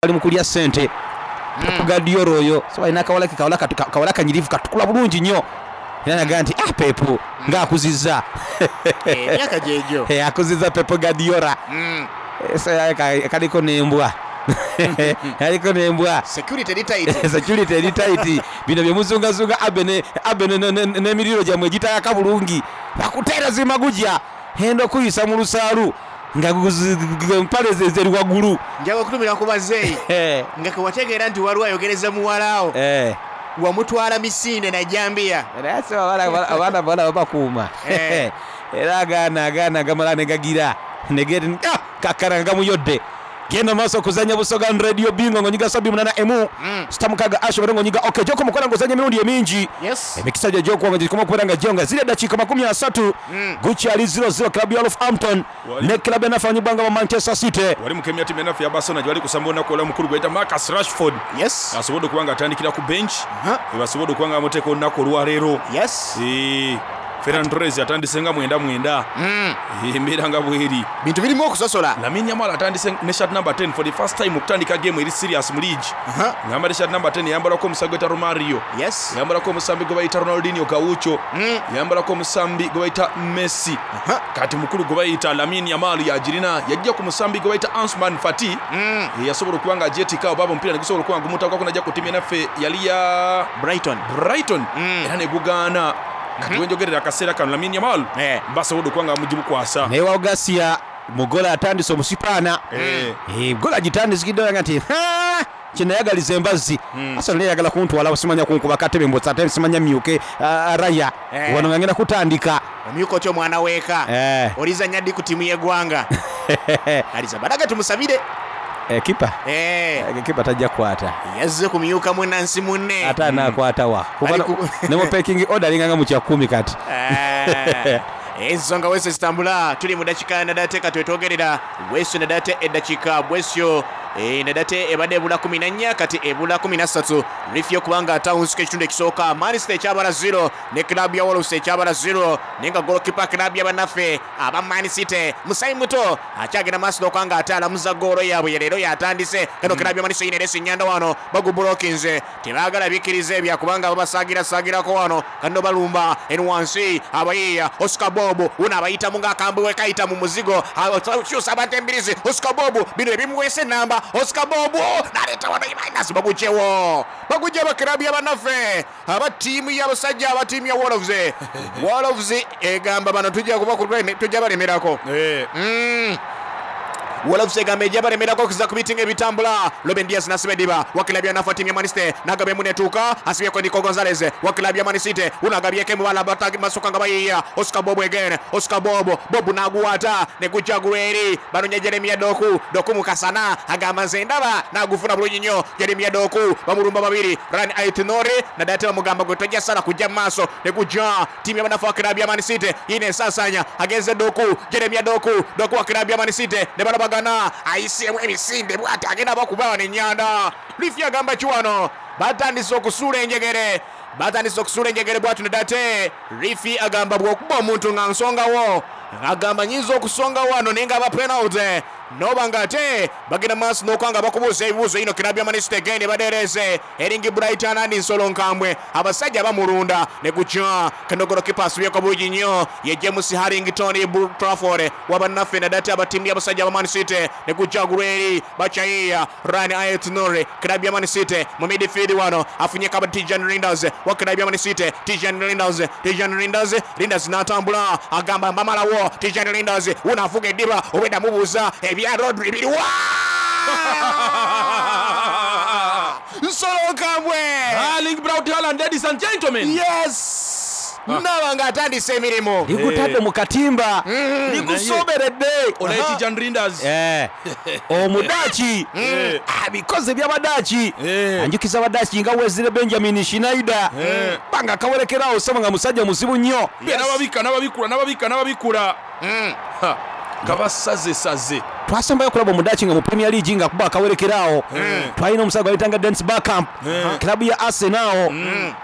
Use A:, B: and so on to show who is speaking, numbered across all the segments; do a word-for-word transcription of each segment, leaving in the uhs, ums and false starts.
A: Ali mu kulya ssente Pep Guardiola oyo. So alina akawala ke, kawala kawala kanyirivu, katukula bulungi nnyo, era naga nti ah, Pep nga akuzizza.
B: Emyaka gyegyo.
A: Akuzizza Pep Guardiola. So kaliko n'embwa, kaliko n'embwa.
B: Security eri tight.
A: Security eri tight. Bino byemuzungazunga abe abe n'emiriro gyammwe egitayaka bulungi, bakuteera zimagujja henda okuyisa mu lusaalu nga empale zeri waggulu.
B: Njaga okutumira ku bazeeyi nga kewategeera nti waliwo ayogereza muwalawo, wamutwala misinde na jambiya.
A: Naye se abaana bawala babakuuma, era agaana agaana gamala negagira kakkana nga gamuyodde. Genda maaso okuzanya Busoga Radio Bingo ng'onyiga sabi munana emu sita mukaga asho bero ng'onyiga ok gyokomukola ng'ozanya emirundi emingi, emikisa gyo egyokuwanga gikoma okubeera nga gyo nga ziri. Eddakiika makumi asatu, gukyali zero zero, club ya Wolverhampton ne club enafanyibwa nga ba Manchester City.
C: Wali mukemya timu enaffe ya Barcelona gyebali kusamba olunaku olwa mukulu gwayita Marcus Rashford.
B: Yes
C: asobodde okuba nga atandikira ku bench, webasobodde okuba nga bamuteeka olunaku olwaleero.
B: yes
C: Eh, Ferran Torres atandise nga mwenda mwenda. Eh, embeera nga bweri.
B: Bintu birimu okusosola.
C: Lamine Yamal atandise ne shirt number ten for the first time okutandika game eri serious mu league. Ngamba ne shirt number ten yambalako omusambi gweta Romario,
B: yes
C: yambalako omusambi gwe bayita Ronaldinho Gaucho, yambalako omusambi gwe bayita Messi. Kati mukulu gwe bayita Lamine Yamal yagirina, yajja ku musambi gwe bayita Ansuman Fati, yasobola okuba nga agyetika oba omupiira ne gusobola okuba nga gumutakako najja ku ttiimu enaffe yali ya
B: Brighton.
C: Brighton, era ne gugaana. Kati wenjogerera akaseera kano Lamine Yamal
B: Eh.
C: basobodde okuba nga bamugibukwasa.
A: Naye Wawugasiya mugola atandise omusipaana.
C: Eh.
A: Gola agitandikidde nga nti "Ha, kyenayagaliza embazzi Arsenal eyagala kuntwala, simanya kunkuba katebe mbotsa ate simanya myuke ah, raya
B: Eh.
A: wano nga ngenda kutandika."
B: Omyuka otya omwana weeka?
A: Eh.
B: Olizanya ddi ku ttiimu y'eggwanga? Alizabalaga tumusabire.
A: Eh, kipa.
B: Eh,
A: Kipa tajja kukwata.
B: Yazze kumyuka munansi munne.
A: Ate anaakwata wa? Kuba
B: Ali ku-
A: ne mu pecking order alinganga mu kyakumi kati.
B: Eh, ensonga wese zitambula, tuli mu dakiika nadate katwetwogerera bwesyo nadate eddakiika bwesyo. Eh, nadate ebadde ebula kumi na nnya, kati ebula kumi na ssatu rifi okubanga atawunsuka ekitundu ekisooka. Man City ekyabala zero ne club ya Wolves ekyabala zero, naye nga golokipa club y'abannaffe aba Man City musayi muto akyagenda maaso n'okubanga ate alamuza goolo yaabwe leero yatandise. Kano club ya Man City eresi nyanda wano bagubulokinze, tebaagala bikkiriza ebya kubanga babasaagirasaagirako wano. Kano balumba eno wansi abayiiya Oscar Bob uno abayitamu ng'akambwe we kayita mu muzigo, kyusa abantu embirizi. Oscar Bob bino ebimuweesa enamba. Oscar Bob naleeta wano Imanas, bagugyewo, bagugye abakirabu y'abannaffe aba ttiimu y'abasajja aba ttiimu ya Wolves. Wolves egamba bano tujja kuba- tujja balemerako.
C: Eh,
B: Mm. Wolves egamba ejja balemerako okuza ku bitinga ebitambula. Ruben Dias nasiba ediba wa kilabu ya nafa timu ya Man City, nagabye munetuuka asibyeko Nico Gonzalez wa kilabu ya Man City, unagabyeko emubala masuka nga bayiiya. Oscar Bob again, Oscar Bob, Bob naguwata ne gujja gulweri banonya Jeremia Doku. Doku mukasana agamba nze ndaba nagufuna bulungi nnyo. Jeremia Doku bamulumba babiri, Ran Aitnori nadate bamugamba gwe tojja sala kujja mu maaso, ne gujja timu y'abanafu wa kilabu ya Man City yine ensasanya agenze Doku, Jeremia Doku, Doku wa kilabu ya Man City ne balabagana, ayiseemu emisinde bwati agenda bakuba wano ennyanda. Lifi agamba ki wano? Batandise okusuula enjegere, batandise okusuula enjegere bwatu nedate rifi agamba bw'okuba omuntu nga nsongawo, agamba nyinza okusonga wano naye nga aba penalty noba nga ate bagenda maaso n'okuba nga bakubuuza ebibuuzo. Ino kirabu ya Man City egende badereeze eringi Brighton andi nsolo nkambwe, abasajja bamulunda ne gujja kanogolo kipa asubyeko bulungi nnyo ye James Harrington Trafford wabannaffe nadate abatiimu y'abasajja ba Man City ne gujja gulweri bachayiya Ran Aitnori kirabu ya Man City mu midfield wano afunye kaba Tijan Rinders wa kirabu ya Man City. Tijan Rinders, Tijan Rinders, Rinders n'atambula agamba mbamalawo. Tijan Rinders unafuga eddiba obwedda mubuuza ebya Rodri biriwa. Nsolo nkambwe.
C: Erling Braut Haaland, ladies and gentlemen.
B: Yes, naba ng'atandise emirimu.
A: Ligutadde mu katimba, ligusoberedde.
C: Onaye Tijan Rinders.
A: Eh, omudaaki abikoze byabadaaki.
C: Eh.
A: Anjukiza abadaaki nga Wezire Benjamin Schneider banga akawerekerawo sebo nga musajja muzibu nnyo.
C: Yes. N'ababika n'ababikula n'ababika n'ababikula. Ha, nga basazesaze.
A: Twasembayo okulaba omudaaki nga mu Premier League nga kuba akawerekerawo, twalina omusajja gwayitanga Dennis Bergkamp, klabu ya Arsenal.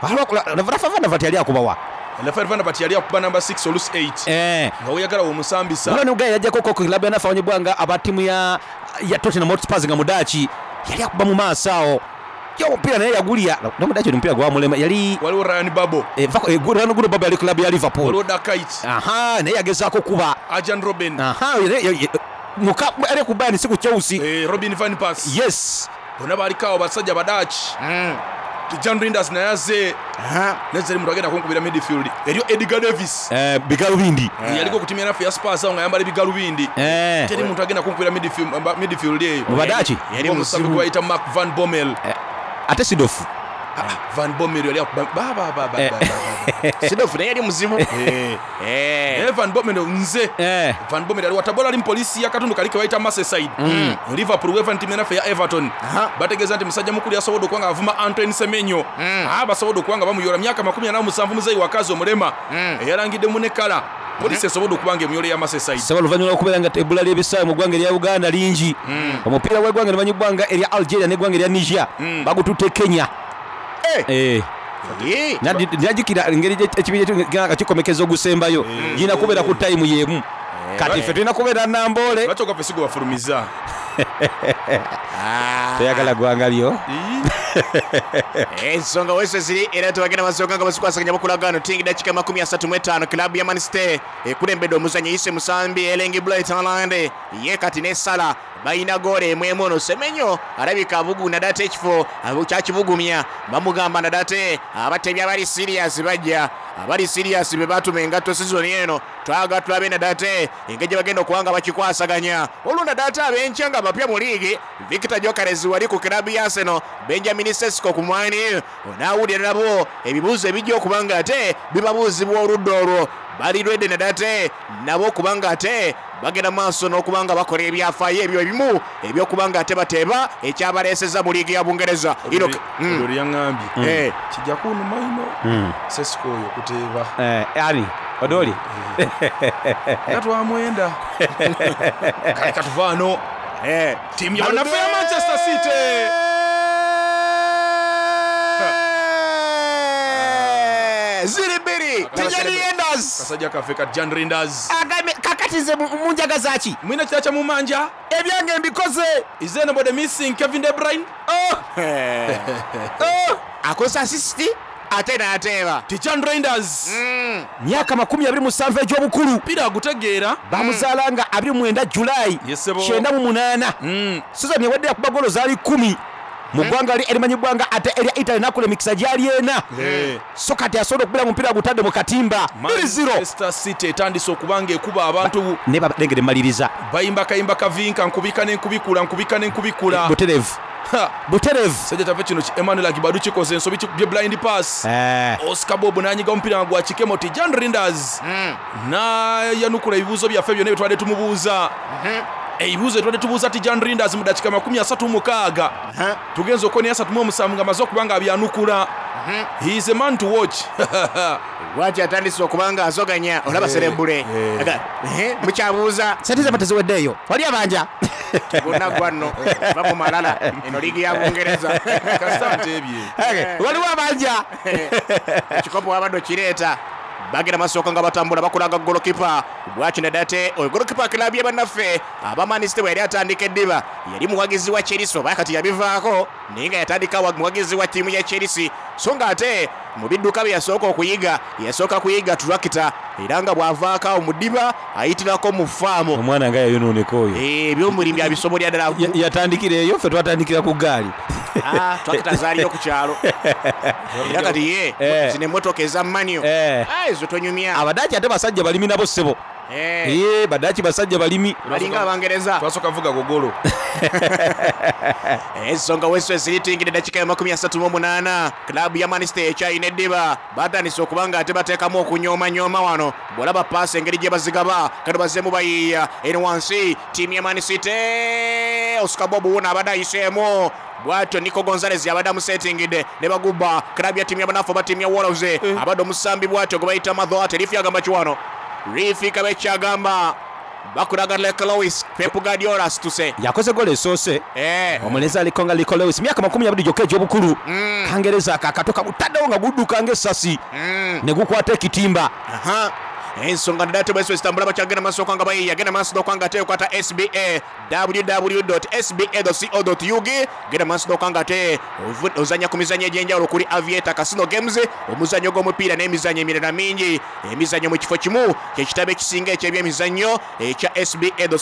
A: Rafa van der Vaart yali akubawa?
C: Rafael van der Vaart yali akuba namba six olusi eight.
A: Eh.
C: Nga weyagala womusambisa.
A: Waliwo ne guy yajjako ko klabu yanafe abanyibwa nga aba ttiimu ya ya Tottenham Hotspurs nga mudaaki. Yali akuba mu maaso awo. Yo omupiira naye yagulya. Nomudaki omupiira gwamulema yali
C: Waliwo Ryan Babo.
A: Eh, vako- eh, Ryan Guno Babo yali club ya Liverpool.
C: Waliwo Dakait.
A: Aha, naye yagezaako kuba.
C: Arjen Robben.
A: Aha, ye- ye- ye- muka ali ku Bayern si ku Chelsea.
C: Eh, Robin van Persie.
A: Yes.
C: Bonna baliko awo basajja Badaki. John Rinders naye azze. Nezeri muntu agenda kunkubira midfield. Eriyo Edgar Davis.
A: Eh, bigalubindi.
C: Yaliko ku timu ya naffe ya Spurs awo ng'ayambala ebigalubindi.
A: Eh.
C: Teri muntu agenda kunkubira midfield mba- midfield eyo.
A: Mu Badaki?
B: Yali
C: Omusambi
B: muzibu.
C: gwe bayita Mark Van Bommel.
A: Ate Sidofu.
C: Van Bommel yali akuba ba ba ba ba
A: Eh.
C: ba, ba.
B: Sidofu naye yali muzibu.
C: Eh.
B: Eh.
C: Naye Van Bommel nze.
A: Eh.
C: Van Bommel ali watabola ali mu poliisi y'akatundu kali ke bayita Merseyside. Liverpool weva nti timu naffe ya Everton. Bategeeza nti musajja mukulu yasobodde okuba nga avuma Antoine Semenyo. Ah, basobodde okuba nga bamuyola myaka makumi ana mu musanvu muzeeyi wakazi omulema. Eyalangidde mu nekala. Poliisi esobodde okuba nga emuyola ya Merseyside.
A: Saba oluvannyuma lw'okubeera nga ebbula ly'ebisaawe mu ggwanga erya Uganda lingi. Omupiira gw'eggwanga erimanyibwa nga erya Algeria n'eggwanga erya Niger bagututte Kenya.
B: Eh.
A: Eh.
B: Eh.
A: Nadi- Najjukira engeri gye- ekibinja ekyo nga kikomekeza ogusembayo girina kubeera ku tayimu y'emu. Kati ffe tulina kubeera Namboole.
C: Lwaki ogwaffe si gwe bafulumiza?
B: Ah.
A: Toyagala ggwanga lyo.
B: Ensonga wese ziri era tebagenda basooka nga bazikwasaganya bakulagano tingi dakika makumi asatu mu etaano kilabu ya Man City ekulembedde omuzannyo yise musambi Erling Braut Haaland ye kati ne Salah balina goolo emu emu ono Semenyo alabika abuguna date ekifo abu- kyakibugumya bamugamba nadate abatebi abali serious bajja abali serious be batuma engatto sizoni eno twagala tulabe nadate engeri gye bagenda okuba nga bakikwasaganya olwo nadate ab'enkya nga bapya mu liigi Victor Gyökeres wali ku kilabu ya Arsenal Benjamin Sesko ku mwani onaawulira nabo ebibuuzo ebijja okuba nga ate bibabuuzibwa oludda olwo bali ready nadate nabo okuba nga ate bagenda maaso n'okuba nga bakola ebyafaayo ebyo ebimu ebyokuba nga ate bateeba ekyabaleeseza mu liigi ya Bungereza Ino- Mm.
C: Olwo yaŋŋambye.
B: Eh.
C: Kijja kunnuma ino. Sesko oyo kuteeba.
A: Eh, ani? Odoli?
C: Nga twamwenda. Kale katuvaano.
B: Eh.
C: Ttiimu ya bannaffe ya Manchester City.
A: Ziri bbiri. Tijani Enders.
C: Kasajja kaffe ka Jan Rinders.
A: Agambye kakati nze mu- munjagaza ki?
C: Mwina kirala kya mumanja.
A: Ebyange mbikoze.
C: Is anybody missing Kevin De Bruyne?
A: Oh! Oh!
B: Akoze asisiti ate n'ateeba
C: Tijan Reinders.
A: Myaka makumi abiri musanvu egy'obukulu.
C: Mpira agutegeera.
A: Bamuzaala nga abiri mu mwenda Julayi
C: Yes, sebo.
A: kyenda mu munaana. Sizoni ewadde yakuba golo zaali kkumi mu ggwanga li erimanyibwa nga ate erya Italy n'akola emikisa gyali ena.
C: Eh.
A: So kati asobola okubeera mu mupiira gutadde mu katimba. bbiri zero.
C: Manchester City etandise okuba nga ekuba abantu
A: Ne balengere mmaliriza.
C: bayimba kayimba kavinka nkubika n'enkubikula nkubika n'enkubikula.
A: Butereevu.
C: Ha!
A: Butereevu.
C: Sajja kyaffe kino ki Emmanuel Agibadu kikoze ensobi kikubye blind pass.
A: Eh.
C: Oscar Bob n'anyiga omupiira nga gwa kikemo Tijan Rinders n'ayanukula ebibuuzo byaffe byonna bye twabadde tumubuuza. Ebibuuzo bye twabadde tubuuza Tijan Rinders mu dakiika makumi asatu mu mukaaga tugenze okubona asatu mu omusanvu ng'amaze okuba nga abyanukula. He is a man to watch.
B: Lwaki atandise okuba nga azoganya olaba serebule Aga, eh, mukyabuuza
A: Sente zaffe teziweddeeyo. Wali abanja.
B: gonna gwanno va mu malala eno liigi ya Bungereza
C: Kasita nteebye.
A: Okay, Waliwo abanja.
B: ekikopo wabadde okireeta bagenda masooka nga batambula bakulaga golokipa bwaki nadate oyo golokipa kilabu ye bannaffe aba Man City bwe yali atandika eddiba yali muwagizi wa Chelsea oba kati yabivaako naye nga yatandika wa- muwagizi wa ttiimu ya Chelsea so nga ate mu bidduka bye yasooka okuyiga yasooka kuyiga tulakita era nga bw'avaako awo mu ddiba ayitirako mu faamu
A: Omwana nga yayonooneka oyo.
B: Eh, ebyomulimi abisobolera ddala
A: Ya- Yatandikira eyo ffe twatandikira ku ggaali.
B: Ah, twakita zaaliyo ku kyalo era kati ye
A: Eh.
B: zino emmotoka eza manio
A: Eh.
B: Ah, ezo tonyumya
A: Abadaaki ate basajja balimi nabo ssebo.
B: Eh,
A: Eh, badaaki basajja balimi.
B: balinga abangereza
C: Twasooka vuga gogolo.
B: ensonga weso ziritingidde dakika ya makumi asatu mu munaana kilabu ya Man City ekyalina eddiba batandise okuba nga ate bateekamu okunyoomanyoma wano bw'olaba paasi engeri gye bazigaba kano bazzeemu bayiiya eno wansi ttiimu ya Man City Oscar Bob wuno abadde ayiseemu bwatyo Nico Gonzalez abadde amusetingidde ne bagubba kilabu ya ttiimu ya banafu aba ttiimu ya Wolves abadde omusambi bwatyo gwe bayita Madhoate lifi agamba ki wano lifi kabekyagamba bakulaga Leke Lewis Pep Guardiola asituse
A: Yakoze golo esoose.
B: Eh.
A: Omulenzi aliko nga Rico Lewis myaka makumi abiri gyokka egy'obukulu. Kangereza ako akato kagutaddewo nga gudduka ng'essasi. Ne gukwata ekitimba.
B: Aha. Ensonga ndate bwese zitambula bakyagenda maaso nga bayiiya, genda maaso n'okwanga ate okwata S B A, W W W S B A co U G. Genda maaso n'okwanga ate ovu- ozanya ku mizannyo egy'enjawulo kuli Aviator Casino Games, omuzannyo gw'omupiira n'emizannyo emirala mingi. Emizannyo mu kifo kimu, kyekitabo ekisinga eky'ebyemizannyo ekya S B A co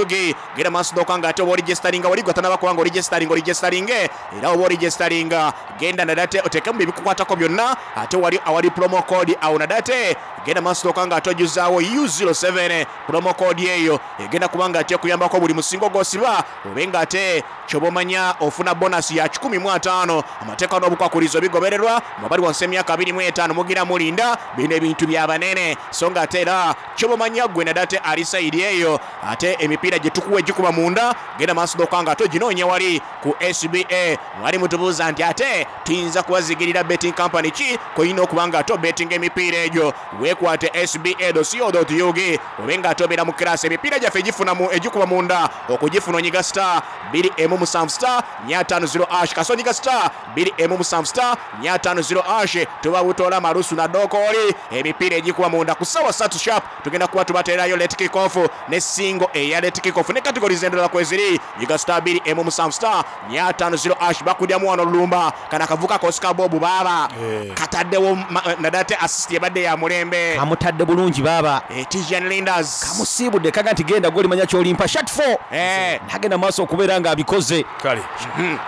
B: U G. Genda maaso n'okwanga ate oba oregisteringa, wali gwe atanaba kubanga oregisteringa, oregisteringe era oba oregisteringa, genda nadate oteekemu ebikukwatako byonna, ate wali awali promo code awo nadate genda maaso n'okwanga ate ojuzaawo U zero seven. Promo code eyo egenda kubanga ate okuyambako buli musingo gw'osiba obe nga ate kyoba omanya ofuna bonus ya kikumi mu ataano. Amateeka n'obukwakulizo bigobererwa. Mwabali wansi emyaka abiri mu etaano, mugira mulinda bino ebintu byabanene. So nga ate era kyoba omanya gwe nadate ali side eyo, ate emipiira gye tukuwa egikuba munda, genda maaso n'okwanga ate oginoonya wali ku S B A. Mwali mutubuuza nti ate tuyinza kubazigirira betting company ki koyina okuba nga ate obetinga emipiira egyo? Weekwate S B A co U G obe nga ate obeera mu class. Emipiira gyaffe egifuna mu- egikuba munda, okugifuna onyiga star bbiri emu musanvu star nnya ttaano zero hash. Kasi onyiga star bbiri emu musanvu star nnya ttaano zero hash, tuba butoola malusu na dookooli. Emipiira egikuba munda ku ssaawa ssatu sharp tugenda kuba tubateerayo late kick off ne singo eya late kick off ne categories endala kweziri. Nyiga star bbiri emu musanvu star nnya ttaano zero hash. Bakudyamu wano olulumba kana akavuka Oscar Bob baaba
C: Eh.
B: kataddewo ma- nadate assist ebadde ya mulembe.
A: Kamutadde bulungi baaba.
B: Eh, Tijjani Reijnders
A: Kamusiibudde kaga nti genda gwolimanya kyolimpa shat four.
B: Eh.
A: Nagenda maaso okubeera ng'abikoze.
C: Kale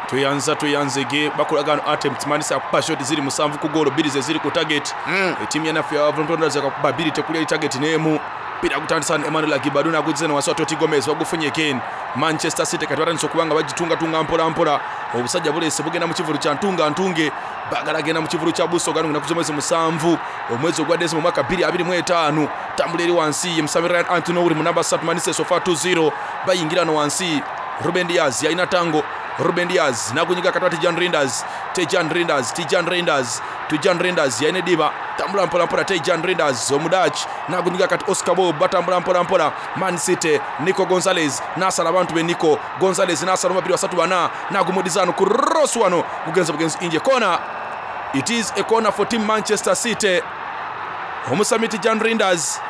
C: tweyanza, tweyanzege. Bakolagano attempts, manisa akuba shot ziri musanvu ku goolo, bbiri ze ziri ku target. Etiimu yanaffe ya Wolverhampton akakuba bbiri, tekuli eri target n'emu. Mpira gutandisa Emmanuel Agibadu nagugize ne wansi wa Toti Gomez, bagufunye again Manchester City. Kati batandise okuba nga bagitungatunga mpola mpola. Obusajja buleese bugenda mu kivulu kya ntunga ntunge, bagala genda mu kivulu kya Busoga naku z'omwezi musanvu omwezi ogwa Desemba omwaka bbiri abiri mu etaano. Tambula eri wansi ye musambi Ryan Ait-Nouri mu namba ssatu. Manchester so far two zero. Bayingira no wansi, Ruben Dias yalina tango. Ruben Dias nagunyiga katwa Tijjani Reijnders, Tijjani Reijnders, Tijjani Reijnders, Tijjani Reijnders yalina ediba, tambula mpola mpola. Tijjani Reijnders omudach nagunyiga kati Oscar Bob, batambula mpola mpola Man City. Nico Gonzalez nasala abantu be, Nico Gonzalez nasala babiri basatu bana, nagumudizano ku cross wano, gugenza bugenzi inje kona. It is a corner for team Manchester City. Omusami Tijjani Reijnders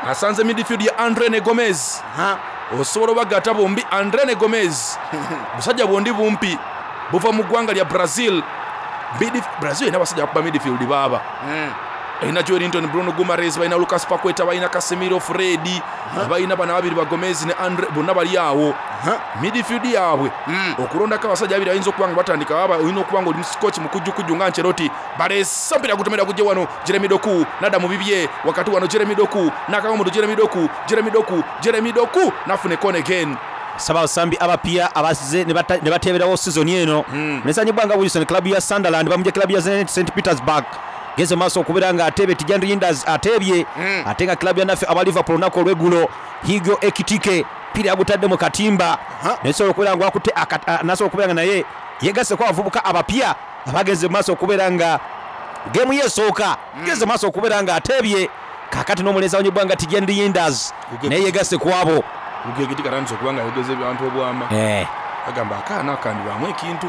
C: asanze midfield ya Andre ne Gomez.
B: Ha.
C: Osobola obagatta bombi, Andre ne Gomez, busajja bwondi bumpi buva mu ggwanga lya Brazil. Midf- brazil erina abasajja bakuba midfield baaba, erina Joelinton, Bruno Guimaraes, balina Lucas Paqueta, balina Casemiro, Fred, balina bana babiri ba Gomez ne Andre, bonna bali awo midfield yaabwe. Okulondako abasajja babiri bayinza okuba nga batandika baba, olina okuba nga oli musikoki mukujjukujju nga Ancelotti. Baleese mpira gutomera gujje wano, Jeremy Doku nadda mu bibye wakati wano. Jeremy Doku nakagamuto, Jeremy Doku, Jeremy Doku, Jeremy Doku nafuna ekona again.
A: Saba abasambi abapya abazze ne bata- ne bateeberawo sizoni eno. Nesanyibwa nga Wilson, club ya Sunderland, bamugye club ya Zenit Saint Petersburg. Genze maaso okubeera nga ateebye, Tijjani Reijnders ateebye, ate nga club ya naffe aba Liverpool olunaku olweggulo Hugo Ekitike pira yagutadde mu katimba, nasobola okubeera nga akutte aka- a- nasobola okubeera nga naye yegasseko abavubuka abapya abagenze mu maaso okubeera nga geemu ye esooka genze maaso okubeera nga ateebye. Kakati n'omulenzi awonyebwa nga Tijjani Reijnders naye yegasse ku abo.
C: Ugegiti katandise okuba nga ayogeza ebintu obwama.
A: Eh,
C: Agamba akaana akandibwamu ekintu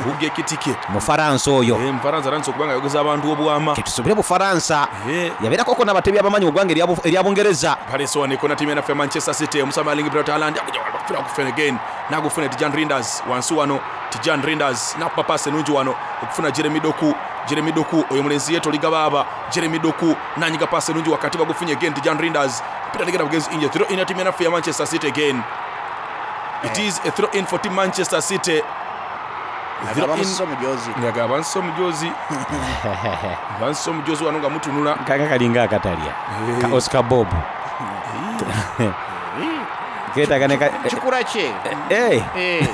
C: Ugekitike.
A: Mufaransa oyo.
C: Mufaransa atandise okuba nga ayogeza abantu obwama.
A: Ketusubire Bufaransa.
C: Eh.
A: Yabeerakoko n'abatebi abamanyi mu ggwanga erya Bu- erya Bungereza.
C: Palace wano ekona tiimu yanaffe ya Manchester City. Omusami Erling Braut Haaland akuja wafira kufuna again, nagufuna Tijjani Reijnders wansi wano. Tijjani Reijnders nakuba paasi enungi wano okufuna Jeremy Doku. Jeremy Doku oyo mulenzi yeetoliga baaba. Jeremy Doku nanyiga paasi enungi wakati, bagufunye again Tijjani Reijnders. Mpira tegenda bugenzi inje, throw in ya tiimu yanaffe ya Manchester City again. It is a throw in for team Manchester City. Throw in-
B: Bamususa omujozi.
C: Nga bansusa omujozi, bansusa omujozi wano nga mutunula.
A: Kaka kalinga akatalya ka Oscar Bob keetaaga ne ka-
B: Kikula kye.
A: Eh,
B: Eh.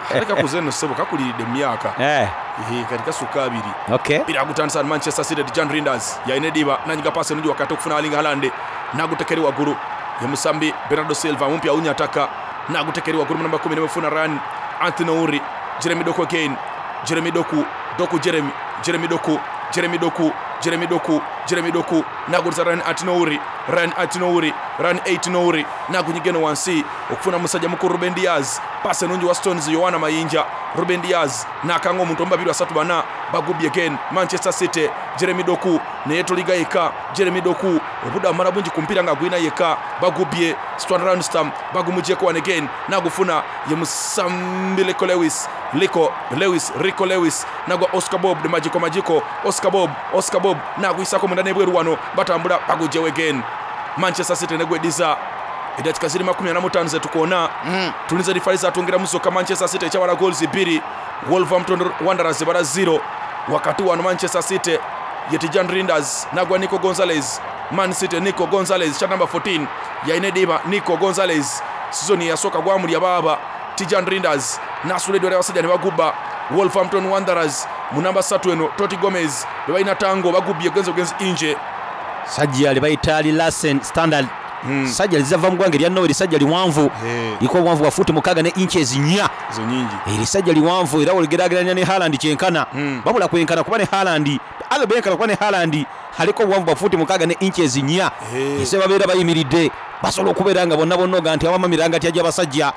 C: Ate kakuze eno ssebo, kakuliridde mu myaka.
A: eh,
C: Eh, kati kasukka abiri.
A: Okay.
C: Mpira gutandisa Manchester City. Tijjani Reijnders yalina ediba, nanyiga paasi enungi wakati okufuna Erling Haaland, nagutekeri waggulu ye musambi Bernardo Silva mumpi awunya ataka, nagutekeri waggulu mu namba kumi nemufuna Rayan Ait-Nouri. Jeremy Doku again, Jeremy Doku, Doku Jeremy, Jeremy Doku, Jeremy Doku, Jeremy Doku, Jeremy Doku naguliza Rayan Ait-Nouri, Rayan Ait-Nouri, Rayan Ait-Nouri nagunyigeno wansi okufuna musajja mukulu Ruben Dias. Paasi enungi wa Stones, Yohana Mayinja. Ruben Dias nakanga omuntu omu babiri basatu bana bagubye again Manchester City Jeremy Doku naye toliga yekka Jeremy Doku obudde amala bungi ku mupiira nga gwina yekka bagubye Stuart Ranstam bagumugyeko one again nagufuna ye musambi Rico Lewis Rico Lewis Rico Lewis nagwa Oscar Bob de Majiko Majiko Oscar Bob Oscar Bob naguyisako munda n'ebweru wano batambula bagugyewo again Manchester City negwediza edakika ziri makumi ana mu ttaano zetukoona mm. tulinze rifali zatwongeramu zokka Manchester City ekyabala goals bbiri Wolverhampton Wanderers ebala zero wakati wano Manchester City ye Tijan Rinders nagwa Nico Gonzalez Man City Nico Gonzalez kya number fourteen yalina ediba Nico Gonzalez sizoni eyasooka gwamulya baaba Tijan Rinders nasula eddwala abasajja ne bagubba Wolverhampton Wanderers mu namba ssatu eno Toti Gomez be balina tango bagubbye genzi ogenzi inje
A: Sajja li bayita li Larsen Standard mm. Sajja lizava mu ggwanga erya Norway lisajja liwanvu
C: hey.
A: Liko obuwanvu bwa fuuti mukaaga ne inches nnya
C: ezo nyingi
A: erisajja liwanvu era oligeraageranya ne Haaland kyenkana
C: mm.
A: Babula kwenkana kuba ne Haaland alo benkana kuba ne Haaland aliko obuwanvu bwa fuuti mukaaga ne inches nnya
C: hey.
A: Ese babeera bayimiridde basobola okubeera nga bonna bonna oga nti awamamiranga ti ajja abasajja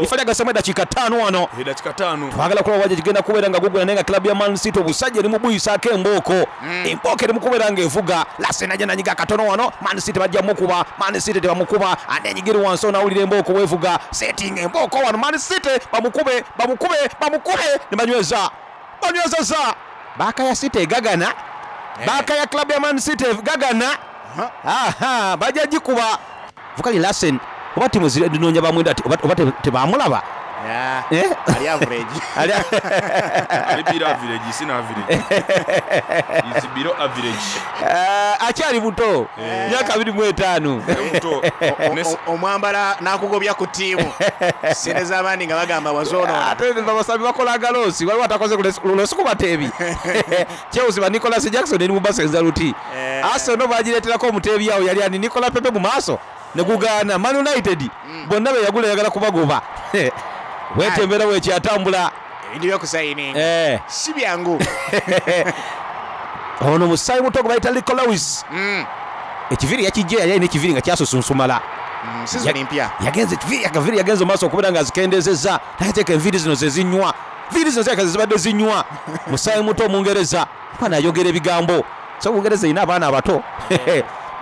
A: ifa lyagasamu eddakiika ttaano wano
C: eddakiika ttaano
A: twagala kulaba waja kigenda kubeera nga gugula naye nga club ya Man City obusajja eri mubuyisaako embooko
B: mm.
A: Embooko eri mukubeera nga evuga Larsen ajja nanyiga katono wano Man City bajja mukuba Man City tebamukuba anenyigira wansi onawulira embooko weevuga setting embooko wano Man City bamukube bamukube bamukube ne banyweza banywezeza baaka ya City egagana
B: Eh.
A: Baaka ya club ya Man City egagana aha bajja gikuba Vukali Larsen oba timu zinoonya bamwenda oba tebamulaba
B: Yeah. Ali average.
A: Ali
C: Ali below average sina average. Is below average.
A: Uh, akyali muto myaka abiri mu etaano.
C: Muto.
B: Omwambala n'akugobya ku ttiimu sente z'abandi nga bagamba wazoonoona
A: ate abasambi bakola agaloosi waliwo atakoze lulosi ku bateebi Chelsea ba Nicolas Jackson eri mu basenza luti Arsenal bagireeterako omuteebi awo yali ani Nicolas Pepe mu maaso ne gugaana Man United bonna be yagula yagala kubagoba wetembera bwekyatambula
B: ebintu byokusayininga si byangu
A: ono musaayi muto gwe bayita Rico Lewis ekiviiri yakijja yali alina ekiviiri nga kyasusunsumala
B: sizoni mpya
A: yagenze ekiviiri akaviiri yagenze mu maaso okubeera nga azikendezezza nateeka enviiri zino zezinywa viiri zino zirabika zezibadde zinywa musaayi muto omungereza mwana ayogera ebigambo so Bungereza erina abaana abato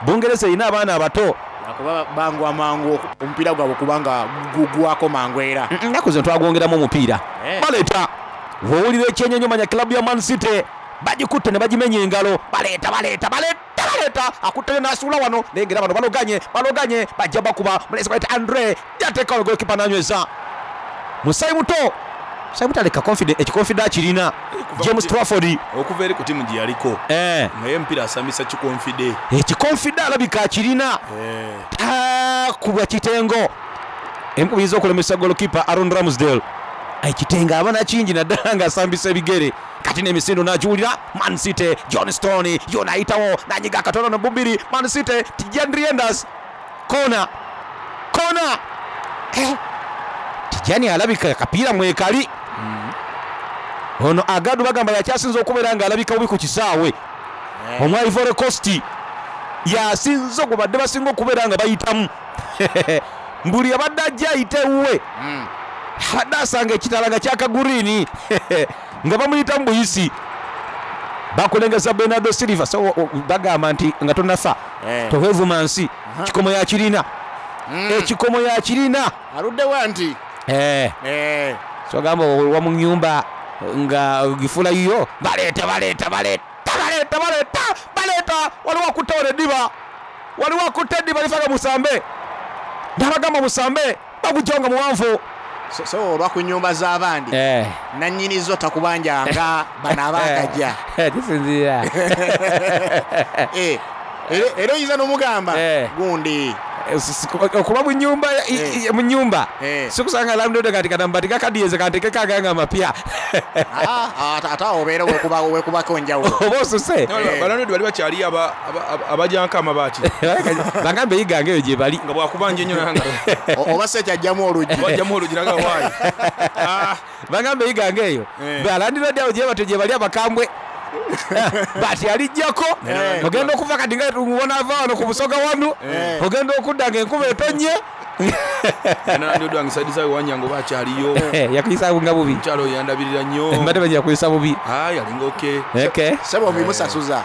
A: Bungereza erina abaana abato
B: kuba bangwa mangu omupiira gwabwe kubanga gugwako mangu era
A: nnaku zino twagwongeramu omupiira baleeta bw'owulira ekyenyonyo manya club ya Man City bagikutte ne bagimenya engalo baleeta baleeta baleeta baleeta akutteyo n'asuula wano naye ngera bano baloganye baloganye bajja bakuba mulezi bayita Andre yateekawo golikipa n'anyweza musayi muto musayi muto aleka ekikonfida akirina James Trafford
C: okuva eri ku ttiimu gye yaliko naye omupiira asambisa kikonfide
A: ekikonfida alabika akirina takubwa kitengo emu biyinza okulemesa golokipa Aaron Ramsdale ekitengo aba nakingi naddala ng'asambisa ebigere kati n'emisindo n'agiwulira Man City John Stone yona ayitawo n'anyiga akatono no bubiri Man City Tijan Rienders kona kona Tijani alabika akapiira mwekali ono Agadu bagamba yakyasinze okubeera ng'alabika bubi ku kisaawe omwa Ivory Coast yasinze ogubadde basinga okubeera nga bayitamu mbuli abadde ajja ayita ewuwe abadde asanga ekitala nga kyakagurini nga bamuyitamu buyisi bakulengeza Bernardo Silva so bagamba nti nga tonafa toweevuma nsi kikomo yakirina ekikomo yakirina
B: aluddewa nti
A: so gamba owa mu nyumba nga gifula yiyo baleeta baleeta baleeta baleeta baleeta baleeta waliwo akutte wano eddiba waliwo akutte eddiba lifaga musambe nabagamba musambe bagujjawo nga muwanvu
B: so olwa ku nyumba z'abandi nannyini zo takubanjanga bano abaakajja
A: kisinziira
B: era oyinza n'omugamba gundi
A: okuba mu nyumba mu nyumba sikusanga landlord kati kanambati kakadiyeze kantekeko aganga amapya
B: ate awo obeera weekubako enjawulo
A: oba osuse
C: balandlord bali bakyali abajanko amabaati
A: bagambe eyigange eyo gye bali
C: nga bwakubanja ennyo nanga
B: oba se kyajjamu oluggi
C: wajjamu oluggi nanga waayi
A: bagambe eyigange eyo balandlord awo gye batyo gye bali abakambwe bati alijjako ogenda okuva kati nga tubona ava wano ku busoga wano ogenda okudda nga enkuba etonye
C: Nandi wange saidi zawe wanyango bakyaliyo.
A: Yakuyisa nga bubi.
C: Mukyalo oyo yandabirira nnyo.
A: Mbadde bajja kuyisa bubi.
C: Ayi alinga okay.
A: Okay.
B: Sebo obimusasuza.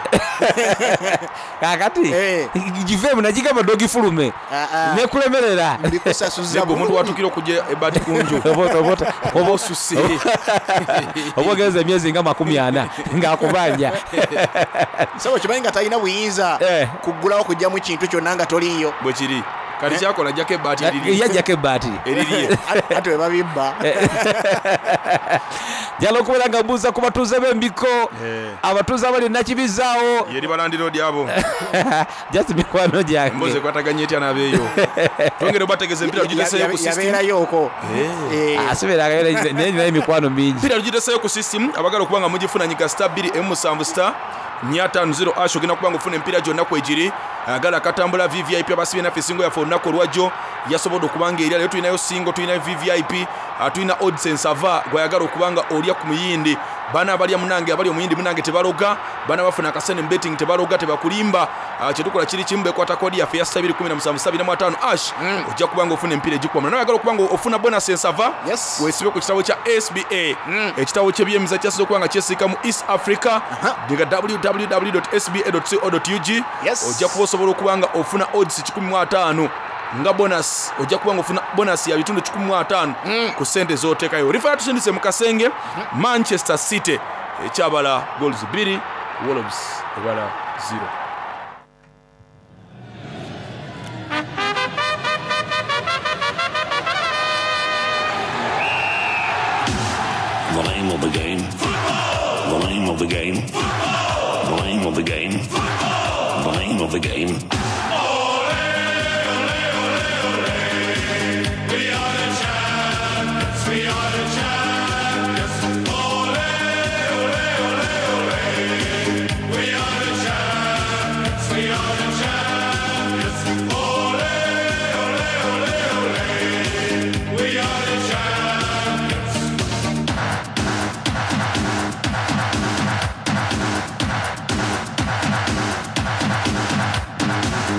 A: Kakati
B: Eh.
A: giveemu nagigamba dogifulume
B: Ah, ah.
A: nekulemerera.
B: Mbikusasuza.
C: Naye omuntu watukira okujja ebbaati ku nju
A: Oba- oba-
C: oba osuse.
A: Oba ogenza emyezi nga makumi ana ng'akubanja.
B: Sebo kimanyi nga talina buyinza
A: Eh.
B: kuggulawo kugyamu kintu kyonna nga toliiyo.
C: Bwe kiri kati kyakola ajjako ebbaati eriri
A: Yajjako ebbaati.
C: erirye.
B: Ate we babibba.
A: Njala okubeera nga mbuuza ku batuuze b'embiko,
C: Eh.
A: abatuuze abali e Nakibizaawo.
C: Yeri balandiroodi abo.
A: Just mikwano
C: Emboozi
A: gyange.
C: ekwataganye etya n'abeeyo. Twongere obategeeza empira tugiteeseeyo ku system.
B: Yabeerayo okwo. Eh.
A: Asibeeranga naye ninayo emikwano mingi.
C: Empira tugiteeseeyo ku system abagala okuba nga mugifuna nyiga star bbiri emu musanvu star nnya ttaano zero ash ogenda kuba nga ofuna empiira gyonna kwegiri. Agala akatambula V V I P abasibye naffe singo yaffe olunaku olwajjo yasobodde okuba nga erya. Leero tulinayo singo, tulinayo V V I P, ah, tulina odds ensava gwayagala okuba nga olya ku muyindi. Bana abalya munange abali omuyindi munange tebaloga, bana bafuna akasente mu betting tebaloga, tebakulimba. Ah, kyetukola kiri kimu, bekwata kodi yaffe ya star bbiri kumi na musanvu star abiri mu ataano ash ojja kuba nga ofuna empiira egikuba. Naye oyagala okuba nga ofuna bonus ensava,
B: Yes.
C: weesibe ku kitabo kya S B A, ekitabo ky'ebyemizannyo kyasinze okuba nga kyesiika mu East Africa, nga w w w dot s b a dot co dot u g.
B: Yes.
C: Ojja kuba osobola okuba nga ofuna odds kikumi mu ataano nga bonus, ojja kuba nga ofuna bonus ya bitundu kikumi mu ataano ku ssente z'oteekayo. Refa tusindise mu kasenge Manchester City ekyabala goals bbiri, Wolves ebala zero.
D: The name of the game. The name of the game. The name of the game. The name of the game.